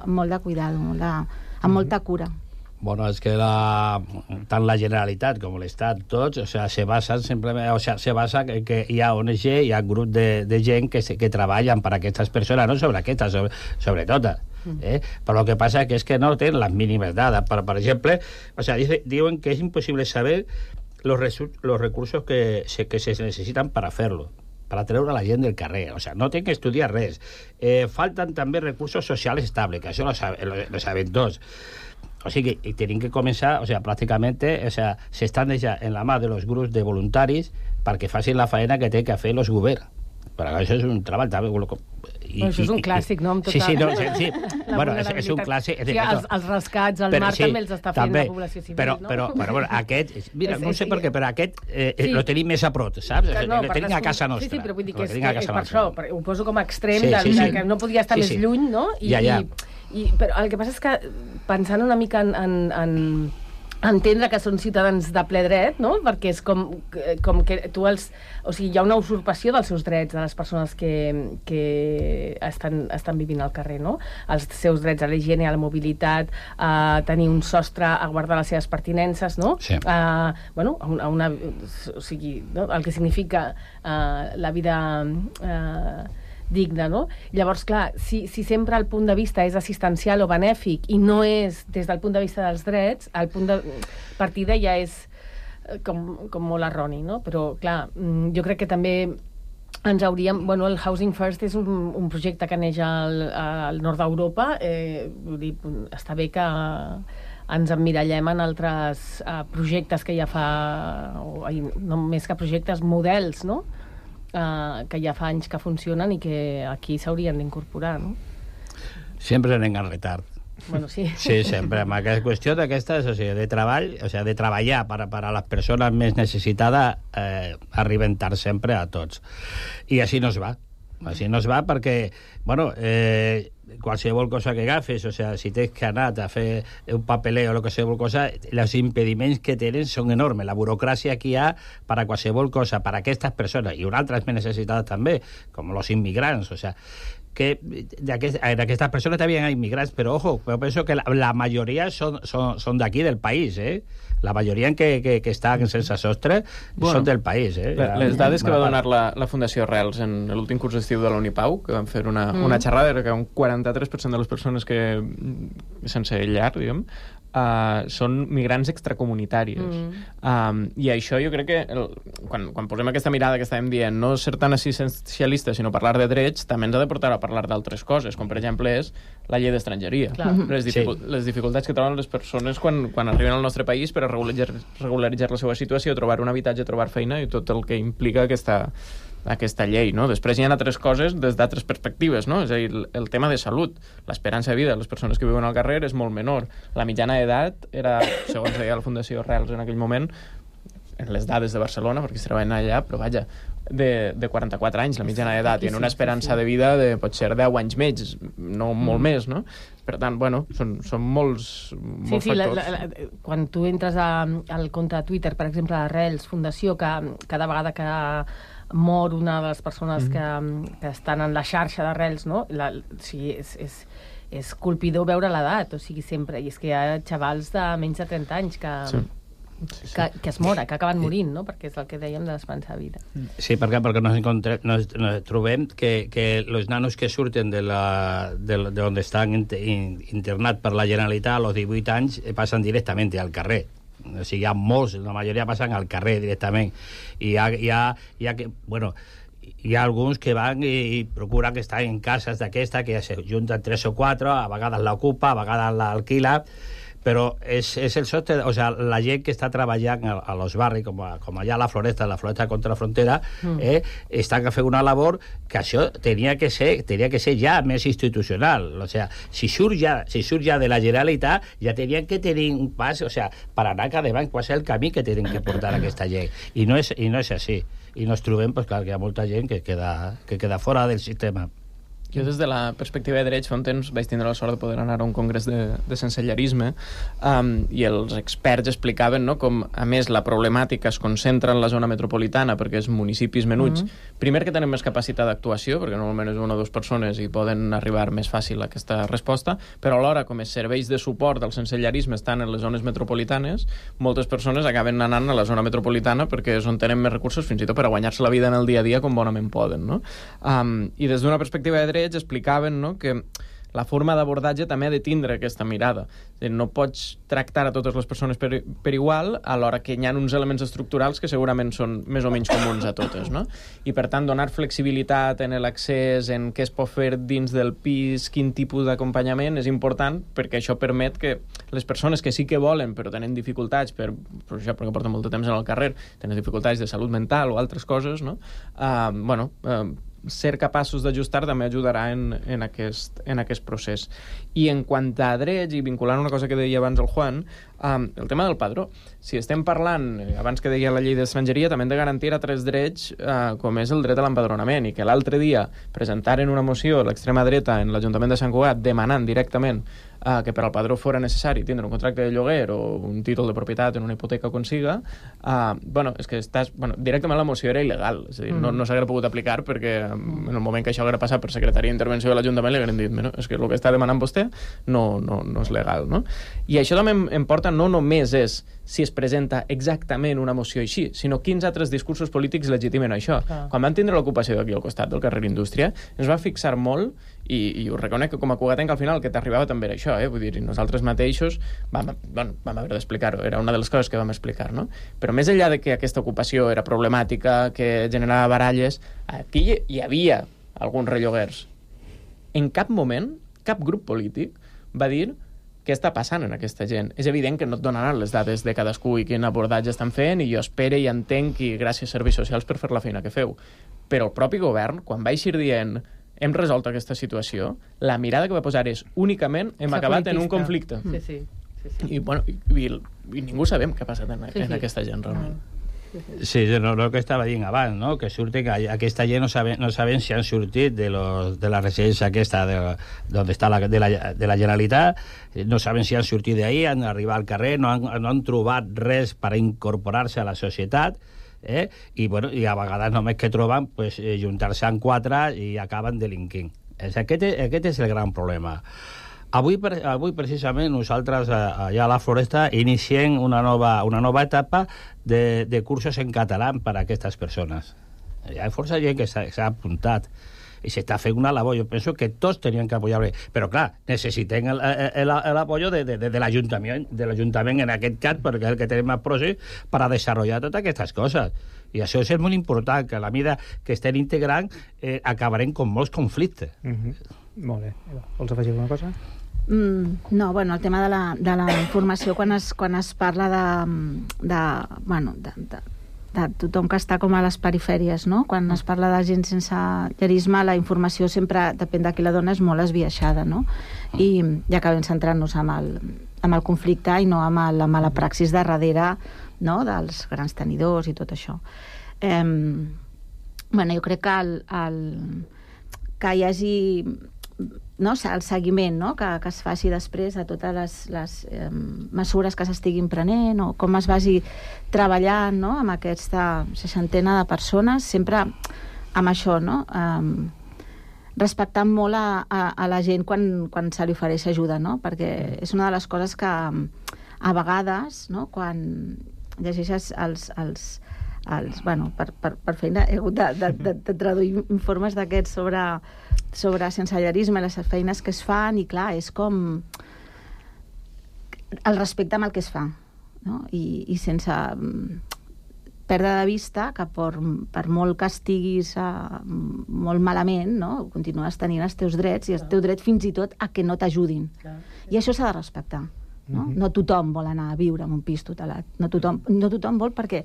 Molt de cuidado, amb molta cura. Bueno, es que tant la Generalitat com l'Estat, tots, se basen simplement, se basa que hi ha ONG, hi ha grup de gent que treballen per a aquestes persones, no sobre aquestes, sobre totes. Però el que passa és que no tenen les mínimes dades. Per exemple, diuen que és impossible saber los recursos que se necesitan para hacerlo, para treure la gent del carrer. No tenen que estudiar res. Falten també recursos socials estables, que això lo saben tots. O sigui, tenim que començar, pràcticament, s'estan deixant en la mà de los grups de voluntaris perquè facin la feina que té que fer els governs. Però això és un treball també... Això és un clàssic, no? Sí. Bueno, és un clàssic... Els rescats, el mar també els està fent la població civil, no? Però aquest... Mira, no sé per què, però aquest lo tenim més a prop, saps? Lo tenim a casa nostra. Sí, però vull dir que és per això, ho poso com a extrem, que no podia estar més lluny, no? Però el que passa és que, pensant una mica en entendre que són ciutadans de ple dret, no? Perquè és com que tu els... O sigui, hi ha una usurpació dels seus drets de les persones que estan vivint al carrer, no? Els seus drets a la higiene, a la mobilitat, a tenir un sostre, a guardar les seves pertinences, no? Sí. Bueno, o sigui, no? El que significa la vida... digna, no? Llavors, clar, si sempre el punt de vista és assistencial o benèfic i no és des del punt de vista dels drets, el punt de partida ja és com molt erroni, no? Però, clar, jo crec que també ens hauríem... Bueno, el Housing First és un projecte que neix al nord d'Europa. Vull dir, està bé que ens emmirallem en altres projectes que ja fa... No més que projectes, models, no? Que ja fa anys que funcionen i que aquí s'haurien d'incorporar, no? Sempre anem en retard. Bueno, sí. Sí, sempre. Amb aquesta qüestió d'aquestes, de treball, de treballar per a les persones més necessitades, arriben tard sempre a tots. I així no es va. Així no es va perquè, bueno, qualsevol cosa que agafes, si tens que anar a fer un papeleo o qualsevol cosa, els impediments que tenen són enormes. La burocràcia que hi ha per a qualsevol cosa, per a aquestes persones, i una altra més necessitada també, com els immigrants, que d'aquestes persones també hi ha immigrants, però ojo, jo penso que la majoria són d'aquí, del país, La majoria que estan sense sostre són del país, Les dades que va donar la Fundació Arrels en l'últim curs d'estiu de la Unipau, que van fer una xerrada, era que un 43% de les persones que sense llar, diguem, són migrants extracomunitàries. I això jo crec que quan posem aquesta mirada que estàvem dient, no ser tan assistencialista sinó parlar de drets, també ens ha de portar a parlar d'altres coses, com per exemple és la llei d'estrangeria. Les dificultats que troben les persones quan arriben al nostre país per a regularitzar la seva situació, trobar un habitatge, trobar feina i tot el que implica aquesta llei, no? Després hi ha altres coses des d'altres perspectives, no? És a dir, el tema de salut, l'esperança de vida de les persones que viuen al carrer és molt menor. La mitjana d'edat era, segons deia la Fundació Arrels en aquell moment, en les dades de Barcelona, perquè es treballen allà, però vaja, de 44 anys, la mitjana d'edat, i en una esperança de vida de potser 10 anys més, no molt més, no? Per tant, bueno, són molts factors. Quan tu entres al compte de Twitter, per exemple, d'Arrels Fundació, que cada vegada que mor una de les persones que estan en la xarxa d'Arrels, no? És colpidor veure l'edat, o sigui, sempre. I és que hi ha xavals de menys de 30 anys que es moren, que acaben morint, no? Perquè és el que dèiem de l'esperança de vida. Sí, perquè nos trobem que els nanos que surten d'on estan internats per la Generalitat a los 18 anys passen directament al carrer. O sigui, hi ha molts, la majoria passen al carrer directament. I hi ha alguns que van i procuren que estan en cases d'aquesta, que se junten 3 o 4, a vegades l'ocupa, a vegades l'alquila, però és el sostre, o sea, la gent que està treballant a los barris, com allà a la Floresta contra la frontera, estan fent una labor que això tenia que ser ja més institucional. O sea, si surt ja de la Generalitat, ja tenien que tenir un pas, o sea, per anar cada vegada, qual és el camí que tenen que portar aquesta gent. I no és així. I ens trobem, pues, clar, que hi ha molta gent que queda fora del sistema. Jo, des de la perspectiva de drets, fa un temps vaig tindre la sort de poder anar a un congrés de sensellarisme i els experts explicaven, no, com, a més, la problemàtica es concentra en la zona metropolitana perquè és municipis menuts. Primer, que tenen més capacitat d'actuació, perquè normalment és 1 o 2 persones i poden arribar més fàcil a aquesta resposta, però alhora, com els serveis de suport del sensellarisme estan en les zones metropolitanes, moltes persones acaben anant a la zona metropolitana perquè és on tenen més recursos, fins i tot per a guanyar-se la vida en el dia a dia com bonament poden, no? I des d'una perspectiva de drets explicaven, no, que la forma d'abordatge també ha de tindre aquesta mirada. No pots tractar a totes les persones per igual, alhora que hi ha uns elements estructurals que segurament són més o menys comuns a totes, no? I, per tant, donar flexibilitat en l'accés, en què es pot fer dins del pis, quin tipus d'acompanyament, és important perquè això permet que les persones que sí que volen però tenen dificultats, per això, perquè porten molt de temps en el carrer, tenen dificultats de salut mental o altres coses, no? Ser capaços d'ajustar també ajudarà en aquest procés. I en quant a drets, i vinculant una cosa que deia abans el Juan, el tema del padró. Si estem parlant, abans que deia la llei d'estrangeria, també hem de garantir a 3 drets, com és el dret a l'empadronament, i que l'altre dia presentaren una moció a l'extrema dreta en l'Ajuntament de Sant Cugat demanant directament que per al padró fora necessari tindre un contracte de lloguer o un títol de propietat en una hipoteca com siga, és que directament la moció era il·legal, és a dir, no s'haguera pogut aplicar perquè en el moment que això haguera passat per secretaria d'intervenció de l'Ajuntament li hagueren dit, és que el que està demanant vostè no és legal, no? I això també em porta no només és si es presenta exactament una moció així, sinó quins altres discursos polítics legitimen això. Quan van tindre l'ocupació d'aquí al costat del carrer Indústria, ens va fixar molt, i ho reconec que com a cugatenc al final el que t'arribava també era això, vull dir, nosaltres mateixos vam haver d'explicar-ho, era una de les coses que vam explicar, no? Però més enllà de que aquesta ocupació era problemàtica, que generava baralles, aquí hi havia alguns relloguers. En cap moment, cap grup polític va dir què està passant en aquesta gent. És evident que no et donaran les dades de cadascú i quin abordatge estan fent, i jo espere i entenc, i gràcies a serveis socials per fer la feina que feu. Però el propi govern, quan va eixir dient hem resolt aquesta situació, la mirada que va posar és únicament hem acabat en un conflicte. Sí. I ningú sabem què ha passat en aquesta gent, realment. Sí, el que estava dient abans, no? Que surten que aquesta gent no saben si han sortit de la residència aquesta d'on està de la Generalitat, no saben si han sortit d'ahí, han arribat al carrer, no han trobat res per incorporar-se a la societat, i a vegades només que troben juntar-se en 4 i acaben delinquint. Aquest és el gran problema. Avui precisament nosaltres allà a la Floresta iniciem una nova etapa de cursos en català per a aquestes persones. Hi ha força gent que s'ha apuntat i s'està fent una labor. Jo penso que tots tenien que apoyar, però clar, necessitem l'apoyo de l'Ajuntament en aquest cas, perquè és el que té més procés per a desenvolupar totes aquestes coses. I això és molt important, que a la mida que estem integrant acabarem amb molts conflictes. Molt bé. Vols afegir alguna cosa? No, el tema de la informació, quan es parla de tothom que està com a les perifèries, no? Quan es parla de gent sense llerisme, la informació sempre, depèn de qui la dona, és molt esbiaixada, no? I acabem centrant-nos amb el conflicte i no amb la mala praxis de darrere, no? Dels grans tenidors i tot això. Jo crec que hi hagi el seguiment, no? Que es faci després de totes les mesures que s'estiguin prenent, o com es vagi treballant, no? Amb aquesta 60ena de persones, sempre amb això, no? Respectant molt a la gent quan se li ofereix ajuda, no? Perquè és una de les coses que a vegades, no? Quan llegeixes per feina he hagut de traduir informes d'aquests sobre sensellarisme, les feines que es fan, i clar, és com el respecte amb el que es fa, no? I sense perdre de vista que per molt que estiguis molt malament, no? Continues tenint els teus drets, i el teu dret fins i tot a que no t'ajudin. I això s'ha de respectar. No tothom vol anar a viure en un pis tutelat. No tothom vol, perquè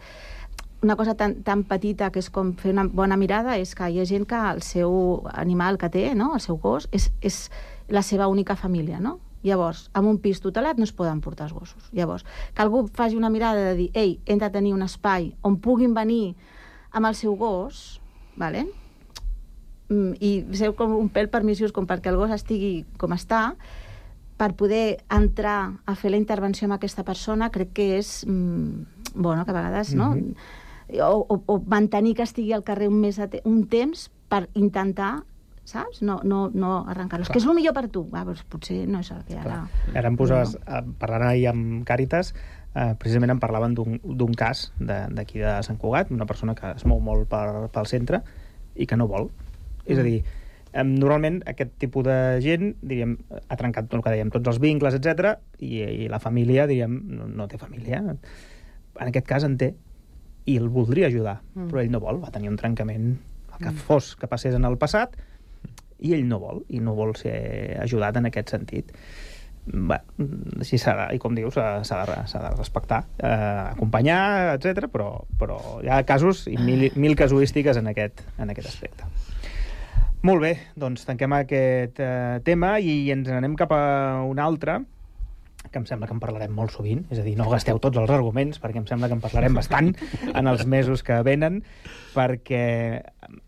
una cosa tan petita que és com fer una bona mirada és que hi ha gent que el seu animal que té, no? El seu gos, és la seva única família, no? Llavors, en un pis tutelat no es poden portar els gossos. Llavors, que algú faci una mirada de dir, ei, hem de tenir un espai on puguin venir amb el seu gos, vale? I ser com un pèl permissius com perquè el gos estigui com està, per poder entrar a fer la intervenció amb aquesta persona, crec que és bueno, que a vegades, no? O mantenir que estigui al carrer un temps per intentar, saps? No arrencar-los. Que és el millor per tu. Doncs potser no és el que ara... Ara em poses, parlant ahir amb Càritas, precisament em parlaven d'un cas d'aquí de Sant Cugat, una persona que es mou molt pel centre i que no vol. És a dir, normalment aquest tipus de gent, diríem, ha trencat tot el que dèiem, tots els vincles, etc, i la família, diríem, no té família. En aquest cas en té, i el voldria ajudar, però ell no vol, va tenir un trencament, el que fos que passés en el passat, i ell no vol ser ajudat en aquest sentit. Bé, així s'ha de, i com dius, s'ha de respectar, acompanyar, etc, però hi ha casos i mil casuístiques en aquest aspecte. Molt bé, doncs tanquem aquest tema i ens anem cap a un altre, que em sembla que en parlarem molt sovint, és a dir, no gasteu tots els arguments, perquè em sembla que en parlarem bastant en els mesos que venen, perquè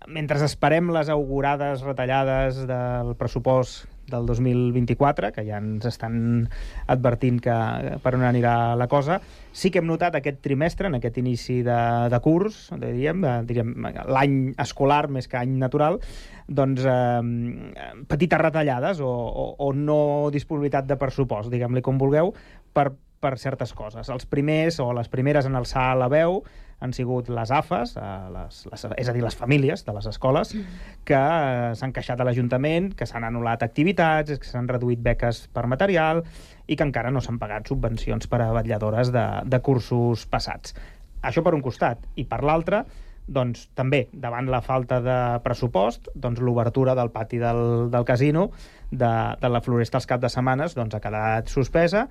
mentre esperem les augurades retallades del pressupost del 2024, que ja ens estan advertint que per on anirà la cosa, sí que hem notat aquest trimestre, en aquest inici de curs, diríem l'any escolar més que any natural, doncs petites retallades o no disponibilitat de pressupost, diguem-li com vulgueu, per certes coses. Els primers o les primeres en alçar la veu han sigut les AFAs, és a dir, les famílies de les escoles, que s'han queixat a l'Ajuntament, que s'han anul·lat activitats, que s'han reduït beques per material i que encara no s'han pagat subvencions per a vetlladores de cursos passats. Això per un costat. I per l'altre, doncs també, davant la falta de pressupost, doncs l'obertura del pati del casino de la Floresta els caps de setmanes doncs ha quedat suspesa,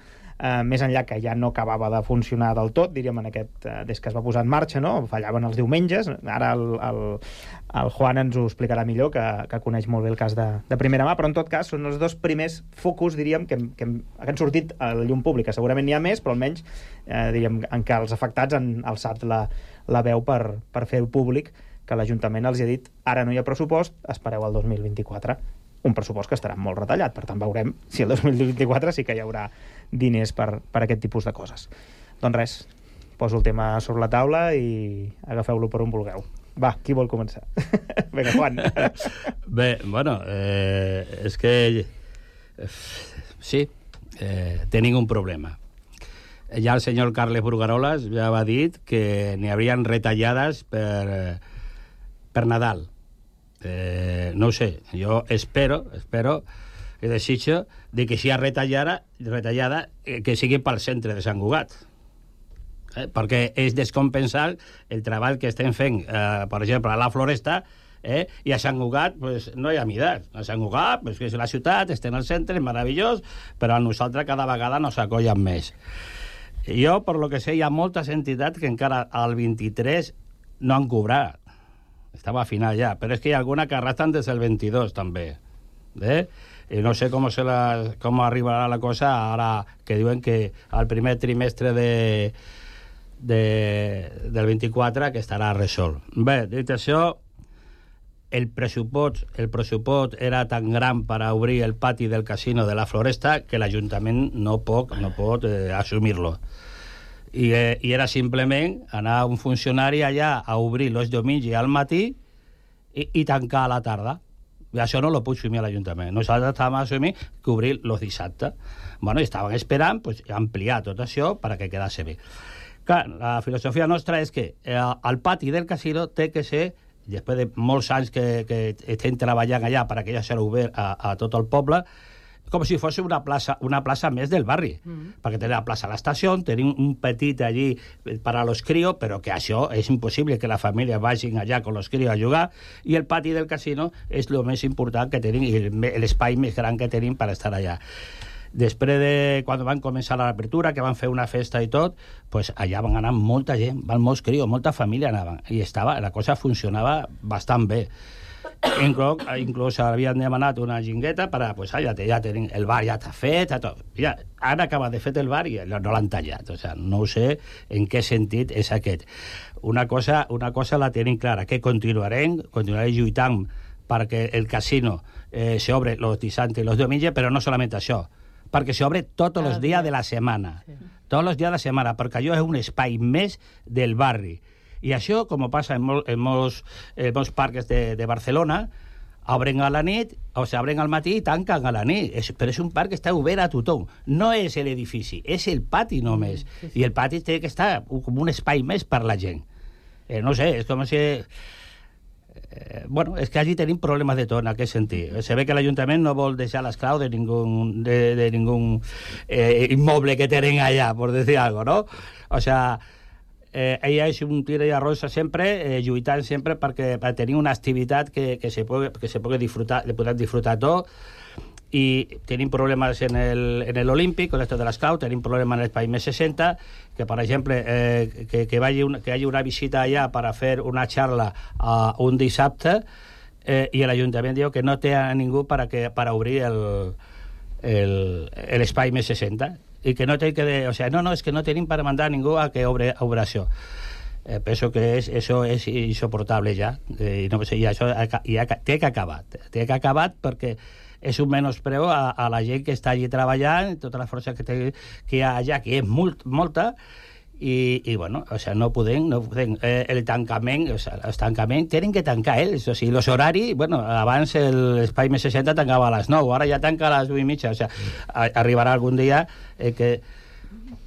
més enllà que ja no acabava de funcionar del tot, diríem, des que es va posar en marxa, no? Fallaven els diumenges. Ara el Juan ens ho explicarà millor, que coneix molt bé el cas de primera mà, però en tot cas són els dos primers focus, diríem, que han sortit a la llum pública. Segurament n'hi ha més, però almenys diríem, en què els afectats han alçat la veu per fer-ho públic, que l'Ajuntament els ha dit ara no hi ha pressupost, espereu el 2024. Un pressupost que estarà molt retallat, per tant veurem si el 2024 sí que hi haurà diners per aquest tipus de coses. Doncs res, poso el tema sobre la taula i agafeu-lo per on vulgueu. Va, qui vol començar? Vinga, Juan. Bé, bueno, és que sí, tenim un problema. Ja el senyor Carles Brugarolas ja va dir que n'hi haurien retallades per Nadal. No ho sé, jo espero i desitjo de que si hi ha retallada que sigui pel centre de Sant Cugat, perquè és descompensar el treball que estem fent, per exemple, a la Floresta, i a Sant Cugat pues, no hi ha midat. A Sant Cugat, pues, que és la ciutat, estem al centre, és meravellós, però a nosaltres cada vegada nos acollen més. Jo, per lo que sé, hi ha moltes entitats que encara al 23 no han cobrat. Estava a final ja, però és que hi ha alguna que arrastren des del 22 també. I no sé com arribarà la cosa ara que diuen que al primer trimestre del 24 que estarà resolt. Bé, dit això, el pressupost era tan gran per a obrir el pati del casino de la Floresta que l'Ajuntament no pot assumir-lo. I era simplement anar un funcionari allà a obrir els diumenges al matí i tancar a la tarda. I això no lo puc assumir a l'Ajuntament. Nosaltres estàvem assumint que obrir els dissabtes. Bueno, estaven esperant ampliar tot això perquè quedase bé. Clar, la filosofia nostra és que el pati del casino té que ser, després de molts anys que estem treballant allà perquè ja serà obert a tot el poble, com si fos una plaça més del barri, perquè tenim la plaça a l'estació, tenim un petit allí per a los críos, però que això és impossible que la família vagin allà con los críos a jugar, i el pati del casino és el més important que tenim, i l'espai més gran que tenim per estar allà. Després de quan van començar l'apertura, que van fer una festa i tot, pues allà van anar molta gent, van molts crios, molta família anaven, i la cosa funcionava bastant bé. Inclús havien demanat una jingueta per a, pues, ja tenim, el bar ja està fet, tot. Ja, han acabat de fet el bar i no l'han tallat. O sea, no sé en què sentit és aquest. Una cosa la tenim clara, que continuarem lluitant perquè el casino s'obre los dissabtes i los diumenges, però no solament això, perquè s'obre tots els dies de la setmana. Tots els dies de la setmana, perquè allò és un espai més del barri. I això, com passa en molts parcs de Barcelona, obren a la nit, o s'obren al matí i tanquen a la nit. Però és un parc que està obert a tothom. No és l'edifici, és el pati només. I el pati té que estar com un espai més per la gent. No sé, és com si... Bueno, és que allí tenim problemes de tot en aquest sentit. Se ve que l'Ajuntament no vol deixar les claus de ningún immoble que tenen allà, por decir algo, ¿no? O sea... ella és un tira i arrossa sempre, lluitant sempre per tenir una activitat que se pugui disfrutar, le podem disfrutar tot, i tenim problemes en l'Olímpic, con esto de l'esclau, tenim problemes en l'espai més 60, que per exemple que hi hagi una visita allà per a fer una xarra un dissabte, i l'Ajuntament diu que no té a ningú per a obrir l'espai més 60, i que no té que... O sea, no, és que no tenim per mandar a ningú a que obri això. Penso que això és insoportable ja, i no sé, i això té que acabar perquè és un menyspreu a la gent que està allí treballant, tota la força que hi ha allà, que és molta, i bueno, o sea, no podem, el tancament, o sea, els tancaments tenen que tancar ells, o sigui, els horaris, bueno, abans l'espai més 60 tancava a les 9, ara ja tanca a les 8:30, o sea, arribarà algun dia que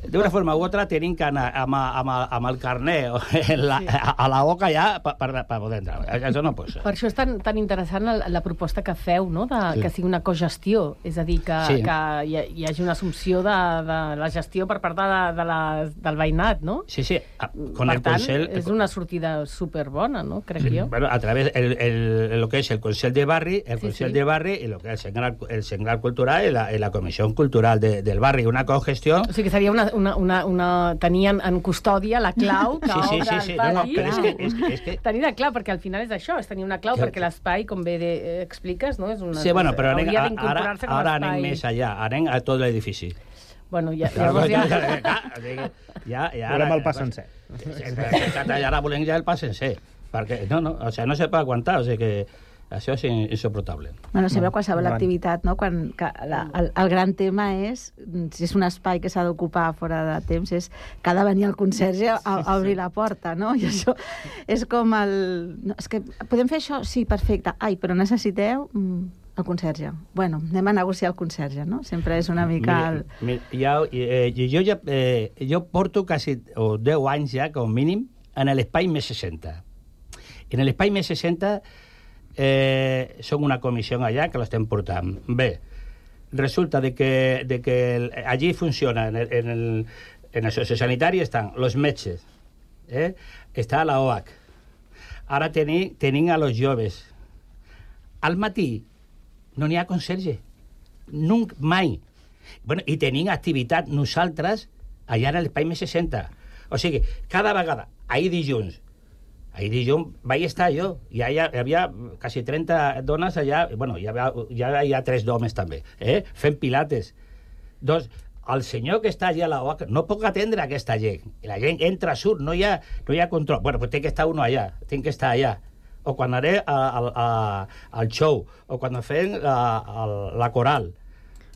d'una forma u altra tenim que anar amb el carnet a la boca ja per poder entrar. Això no pot ser. Per això és tan interessant la proposta que feu, no? Que sigui una cogestió, és a dir, que hi hagi una assumpció de la gestió per part del veïnat, no? Sí. Per tant, és una sortida superbona, no? Crec jo. Bueno, a través de lo que es el Consell de Barri, de Barri i lo que es el Senglar Cultural i la Comissió Cultural del Barri, una cogestió... O sigui que seria tenien en custòdia la clau que obre el pati. És que... Tenir la clau, perquè al final és això, és tenir una clau perquè l'espai, com bé expliques, no? Sí, bueno, però ara anem més allà, anem a tot l'edifici. Bueno, llavors ja... Volem el pas sencer. Ara volem ja el pas sencer, perquè no se pot aguantar, o sigui que... Això és insoportable. Bueno, sempre qualsevol activitat, no? Quan el gran tema és, si és un espai que s'ha d'ocupar fora de temps, és que ha de venir el conserge a obrir la porta, no? I això és com el... No, és que podem fer això? Sí, perfecte. Ai, però necessiteu el conserge. Bueno, anem a negociar el conserge, no? Sempre és una mica... Jo porto quasi 10 anys ja, com mínim, en l'espai més 60. En l'espai més 60 som una comissió allà que l'estem portant. Bé, resulta de que allí funciona en el sociosanitari estan els metges, està la OAC, ara tenim a los joves. Al matí no n'hi ha conserge, mai. Bueno, i tenim activitat nosaltres allà en l'espai més 60. O sigui, cada vegada, ahir dilluns vaig estar jo, i hi havia quasi 30 dones allà, bueno, hi ha 3 homes també, fent pilates. Doncs el senyor que està allà a la OAC no pot atendre aquesta gent. La gent entra, surt, no hi ha control. Bueno, pues té que estar uno allà, tinc que estar allà. O quan anaré al show, o quan fem la coral.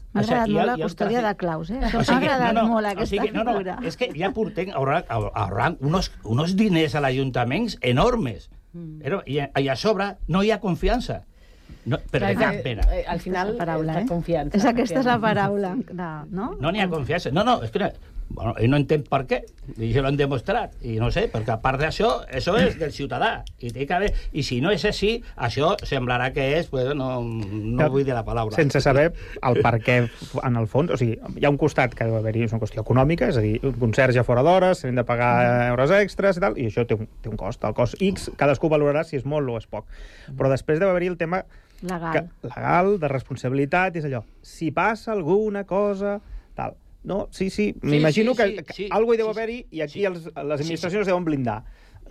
M'ha agradat molt la custòdia de claus, M'ha agradat molt aquesta figura. És que ja portem ahorrant uns diners a l'Ajuntament enormes. I a sobre no hi ha confiança. Però de cap pena. Al final, la confiança. Aquesta és la paraula, no? No n'hi ha confiança. No, és que Bueno, i no entenc per què, i ja l'han demostrat, i no sé, perquè a part d'això, això és del ciutadà, i té que haver, i si no és així, això semblarà que és, pues, no vull dir la paraula. Sense saber el per què, en el fons, o sigui, hi ha un costat que deu haver-hi, és una qüestió econòmica, és a dir, un conserge fora d'hores, s'han de pagar euros extras i tal, i això té un cost, el cost X, cadascú valorarà si és molt o és poc. Però després deu haver-hi el tema legal, de responsabilitat, és allò, si passa alguna cosa, tal. No, sí, m'imagino que alguna hi deu haver-hi i aquí les administracions deuen blindar.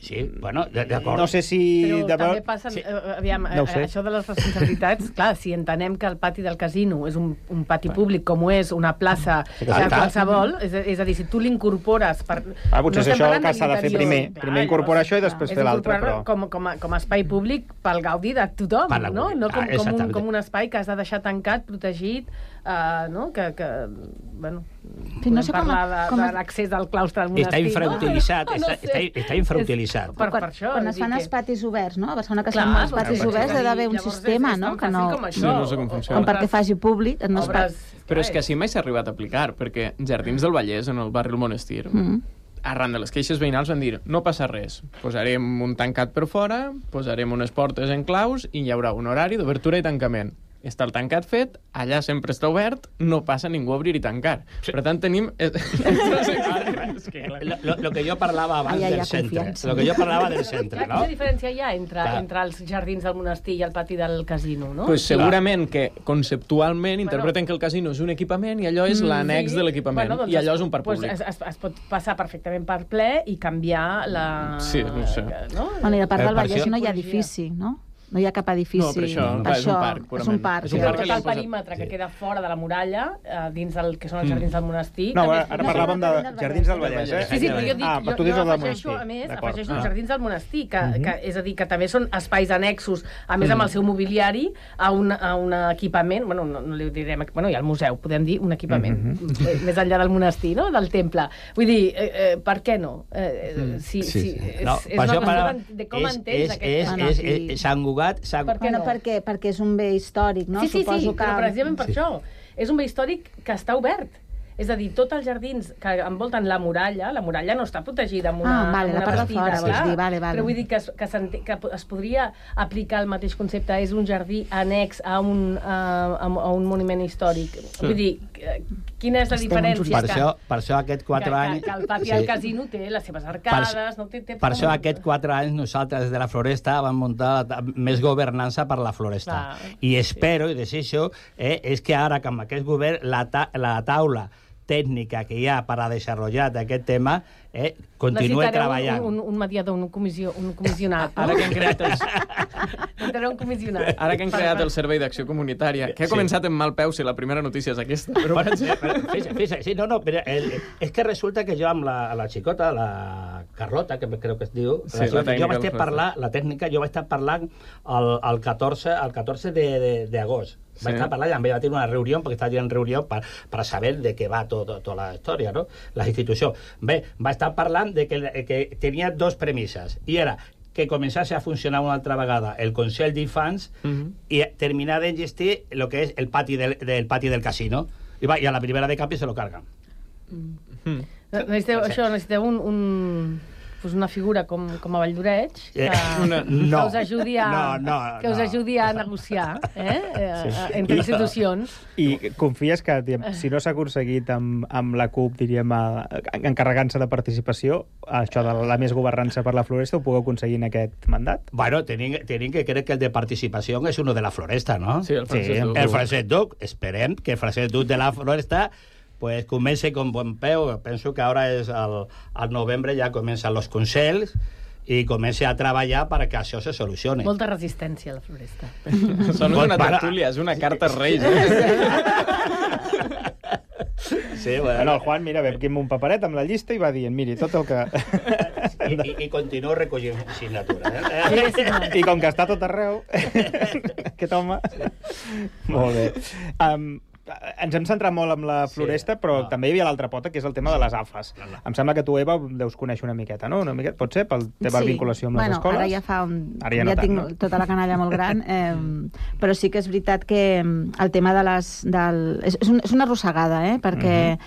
Sí, bueno, d'acord. No sé si... Però també passen... Aviam, això de les responsabilitats, clar, si entenem que el pati del casino és un pati públic com ho és una plaça qualsevol, és a dir, si tu l'incorpores... Potser és això que s'ha de fer primer. Primer incorporar això i després fer l'altre, però... Com a espai públic pel gaudi de tothom, no? No com un espai que has de deixar tancat, protegit, no? Que bueno, podem parlar de l'accés al claustre del monestir. Està infrautilitzat, està infrautilitzat. Quan es fan els patis oberts, no? A Barcelona que es fan els patis oberts ha d'haver un sistema, no? Que no... No sé com funciona. Com perquè faci públic... Però és que així mai s'ha arribat a aplicar, perquè Jardins del Vallès, en el barri del Monestir, arran de les queixes veïnals van dir no passa res, posarem un tancat per fora, posarem unes portes en claus i hi haurà un horari d'obertura i tancament. Està el tancat fet, allà sempre està obert, no passa ningú a obrir i tancar. Per tant, tenim... Lo que jo parlava abans del centre. Lo que jo parlava del centre, no? Quina diferència hi ha entre els jardins del monestir i el pati del casino, no? Pues segurament que conceptualment interpreten que el casino és un equipament i allò és l'annex de l'equipament. I allò és un parc públic. Es pot passar perfectament per ple i canviar la... Sí, no sé. Bueno, i a part del Vallès no hi ha edifici, no? No hi ha cap edifici. No, però això és un parc, purament. És un parc. Tot el perímetre que queda fora de la muralla, dins del que són els jardins del monestir... No, ara parlàvem de Jardins del Vallès, eh? Sí, però jo dic, jo afegeixo, a més, afegeixo els Jardins del Monestir, que és a dir, que també són espais annexos, a més amb el seu mobiliari, a un equipament, bueno, no li direm... Bueno, hi ha el museu, podem dir un equipament, més enllà del monestir, no?, del temple. Vull dir, per què no? És una qüestió de com entens aquest... Sant Cugat... Perquè és un bé històric, no? Sí, però precisament per això. És un bé històric que està obert. És a dir, tots els jardins que envolten la muralla no està protegida amb una bastida, però vull dir que es podria aplicar el mateix concepte, és un jardí annex a un monument històric. Vull dir, quina és la diferència? Per això aquest 4 anys... Que el pati del casino té les seves arcades... Per això aquest 4 anys nosaltres des de la Floresta vam muntar més governança per la Floresta. I espero i desitjo és que ara, amb aquest govern, la taula tècnica que hi ha per a desenvolupar aquest tema continua treballant. Un mediador, un comissionat. Ara que han creat Necessitarà un comissionat. Ara que han creat el Servei d'Acció Comunitària, que ha començat en mal peu si la primera notícia és aquesta. Sí, però és que resulta que jo amb la xicota, la Carlota, que crec que es diu, jo vaig estar parlant, la tècnica, jo vaig estar parlant el 14 d'agost. Vaig estar parlant, amb ella va tenir una reunió, perquè estava en reunió per saber de què va tota la història, no? La institució. Bé, va estar parlant de que tenia dos premisses, i era que començasse a funcionar una altra vegada el Consell d'Infants i terminar d'engestir el que és el pati del casino. I a la primera de canvi se lo carguen. Necessiteu una figura com a Valldoreig que us ajudi a negociar entre institucions. I confies que, si no s'ha aconseguit amb la CUP, diríem, encarregant-se de participació, això de la més governança per la Floresta, ho pugueu aconseguir en aquest mandat? Bueno, tenim que crec que el de participació és uno de la Floresta, no? Sí, el Francesc Duc. Esperem que el Francesc Duc de la Floresta pues comença con buen peu. Penso que ara és al novembre ja comencen els consells i comença a treballar perquè això se solucioni. Molta resistència a la Floresta. Això no és una tertúlia, és una carta als Reis. Sí, bueno, el Juan, mira, vam amb un paperet amb la llista i va dient, miri, tot el que... I continuo recollint signatura. I com que està tot arreu, aquest home... Molt bé. Ens hem centrat molt en la Floresta, però també hi havia l'altra pota, que és el tema de les AFAs. Em sembla que tu, Eva, deus conèixer una miqueta, no? Pot ser, per teva vinculació amb les escoles? Ara ja fa ja tinc tota la canalla molt gran, però sí que és veritat que el tema de les... És una arrossegada, perquè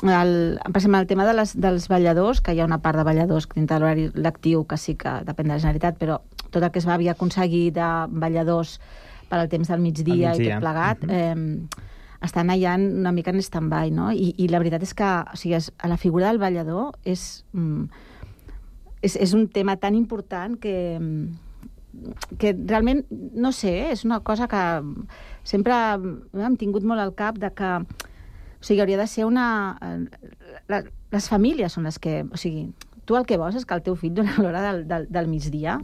per exemple, el tema dels balladors, que hi ha una part de balladors dintre de l'horari lectiu que sí que depèn de la Generalitat, però tot el que es va havia aconseguir de balladors per al temps del migdia i tot plegat, estan allà una mica en stand-by, no? I la veritat és que la figura del ballador és un tema tan important que realment, no sé, és una cosa que sempre hem tingut molt al cap de que hauria de ser les famílies són les que... O sigui, tu el que vols és que el teu fill durant l'hora del migdia,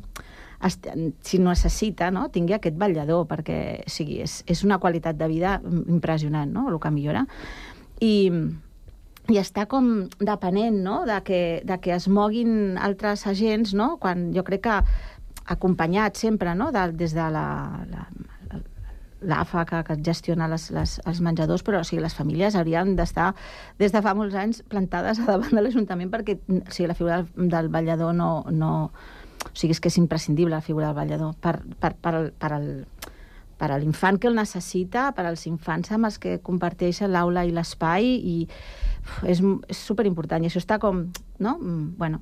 si necessita, tingui aquest ballador, perquè és una qualitat de vida impressionant, no?, el que millora. I està com depenent, no?, de que es moguin altres agents, no?, quan jo crec que acompanyat sempre, no?, des de l'AFA que gestiona els menjadors, però les famílies haurien d'estar des de fa molts anys plantades davant de l'Ajuntament perquè la figura del ballador no... O sigui, és que és imprescindible la figura del ballador per a l'infant que el necessita, per als infants amb els que comparteixen l'aula i l'espai, i és superimportant. I això està com, no? Bueno,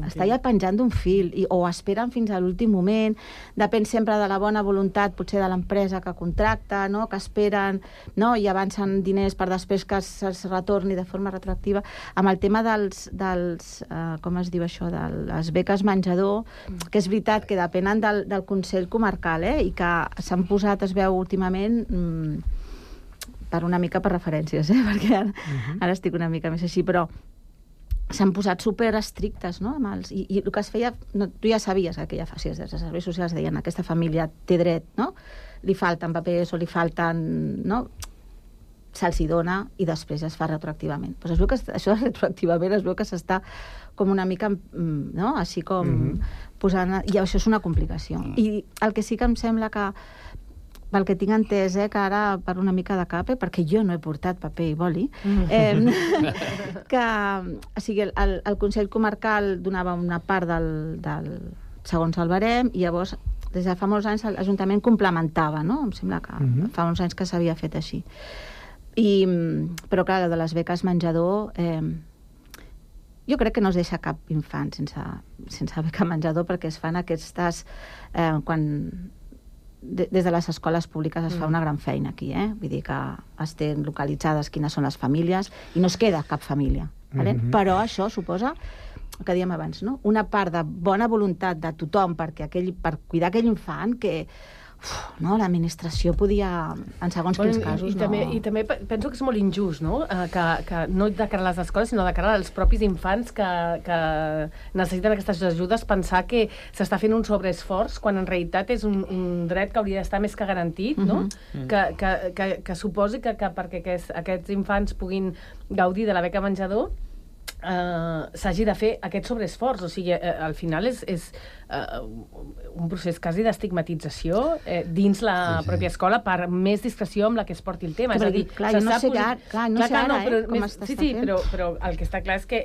està ja penjant d'un fil, o esperen fins a l'últim moment, depèn sempre de la bona voluntat potser de l'empresa que contracta, no?, que esperen, no?, i avancen diners per després que se'ls retorni de forma retroactiva. Amb el tema dels com es diu això, de les beques menjador, que és veritat que depenen del Consell Comarcal, i que s'han posat, es veu últimament, per una mica per referències, perquè ara estic una mica més així, però s'han posat superestrictes, no?, i el que es feia, tu ja sabies que ja fa, els serveis socials deien aquesta família té dret, no?, li falten papers o li falten, no?, se'ls hi dona i després es fa retroactivament. Doncs es veu que això retroactivament es veu que s'està com una mica, no?, així com posant... I això és una complicació. I el que sí que em sembla que pel que tinc entès, que ara per una mica de cap, perquè jo no he portat paper i boli, que el Consell Comarcal donava una part segons el barem, i llavors des de fa molts anys l'Ajuntament complementava, no? Em sembla que fa uns anys que s'havia fet així. Però clar, de les beques menjador, jo crec que no es deixa cap infant sense beca menjador, perquè es fan aquestes... Des de les escoles públiques es fa una gran feina aquí, vull dir que es tenen localitzades quines són les famílies i no es queda cap família, però això suposa, el que dèiem abans, no?, una part de bona voluntat de tothom per cuidar aquell infant que l'administració podia, en segons quins casos, no... I també penso que és molt injust, no?, que no de cara a les escoles, sinó de cara als propis infants que necessiten aquestes ajudes, pensar que s'està fent un sobreesforç, quan en realitat és un dret que hauria d'estar més que garantit, no?, que suposi que perquè aquests infants puguin gaudir de la beca menjador s'hagi de fer aquest sobreesforç. O sigui, al final és un procés quasi d'estigmatització dins la pròpia escola per més discreció amb la que es porti el tema. És a dir, clar, no sé ara com està fent. Sí, però el que està clar és que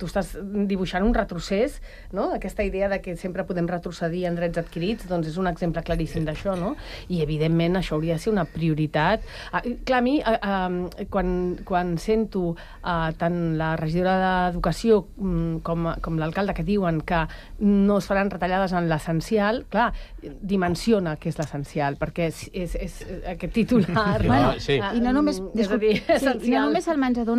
tu estàs dibuixant un retrocés, no? Aquesta idea de que sempre podem retrocedir en drets adquirits, doncs és un exemple claríssim d'això, no? I, evidentment, això hauria de ser una prioritat. Clar, a mi, quan sento tant la regidora d'Educació com l'alcalde que diuen que no es faran retallades en l'essencial, clar, dimensiona què és l'essencial, perquè és aquest titular... I no només el menjador,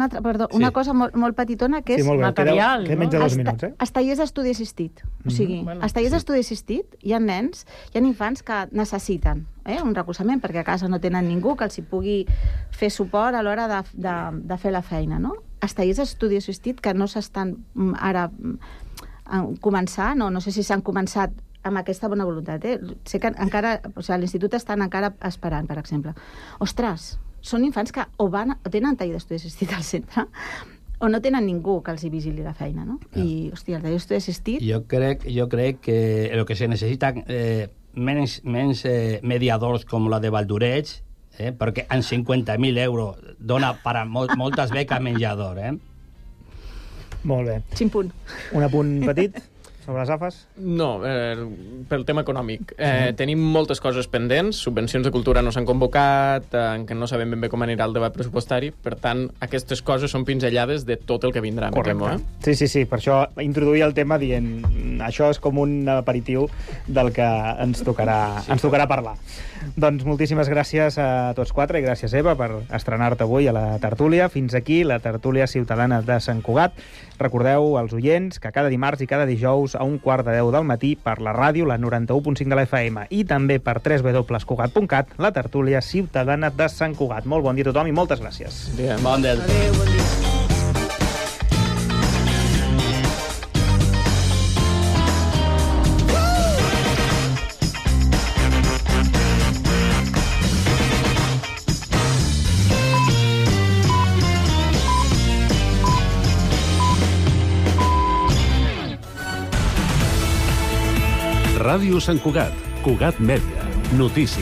una cosa molt petitona, que és material. Que menja 2 minuts, els tallers d'estudi assistit. O sigui, els tallers d'estudi assistit, hi ha nens, hi ha infants que necessiten un recolzament, perquè a casa no tenen ningú que els hi pugui fer suport a l'hora de fer la feina, no? Els tallers d'estudi assistit que no s'estan ara començant, no sé si s'han començat amb aquesta bona voluntat. Sé que encara, a l'institut estan encara esperant, per exemple. Ostres, són infants que o tenen taller d'estudi assistit al centre o no tenen ningú que els hi vigili la feina, no? I, hòstia, el taller d'estudi assistit... Jo crec que el que se necessita menys mediadors com la de Valdoreig, perquè amb 50.000 euros dona per a moltes beques menjador, Molt bé. Ximpun. Un apunt petit. Sobre les AFAs? No, pel tema econòmic. Tenim moltes coses pendents, subvencions de cultura no s'han convocat, que no sabem ben bé com anirà el debat pressupostari, per tant, aquestes coses són pinzellades de tot el que vindrà, me temo, Sí, per això introduir el tema dient això és com un aperitiu del que ens tocarà parlar. Doncs moltíssimes gràcies a tots quatre i gràcies, Eva, per estrenar-te avui a la tertúlia. Fins aquí la tertúlia ciutadana de Sant Cugat. Recordeu als oients que cada dimarts i cada dijous a 1:15 del matí per la ràdio, la 91.5 de la FM, i també per www.cugat.cat, la tertúlia ciutadana de Sant Cugat. Molt bon dia a tothom i moltes gràcies. Bon dia. Adéu, bon dia. Ràdio Sant Cugat, Cugat Mèdia, notícies.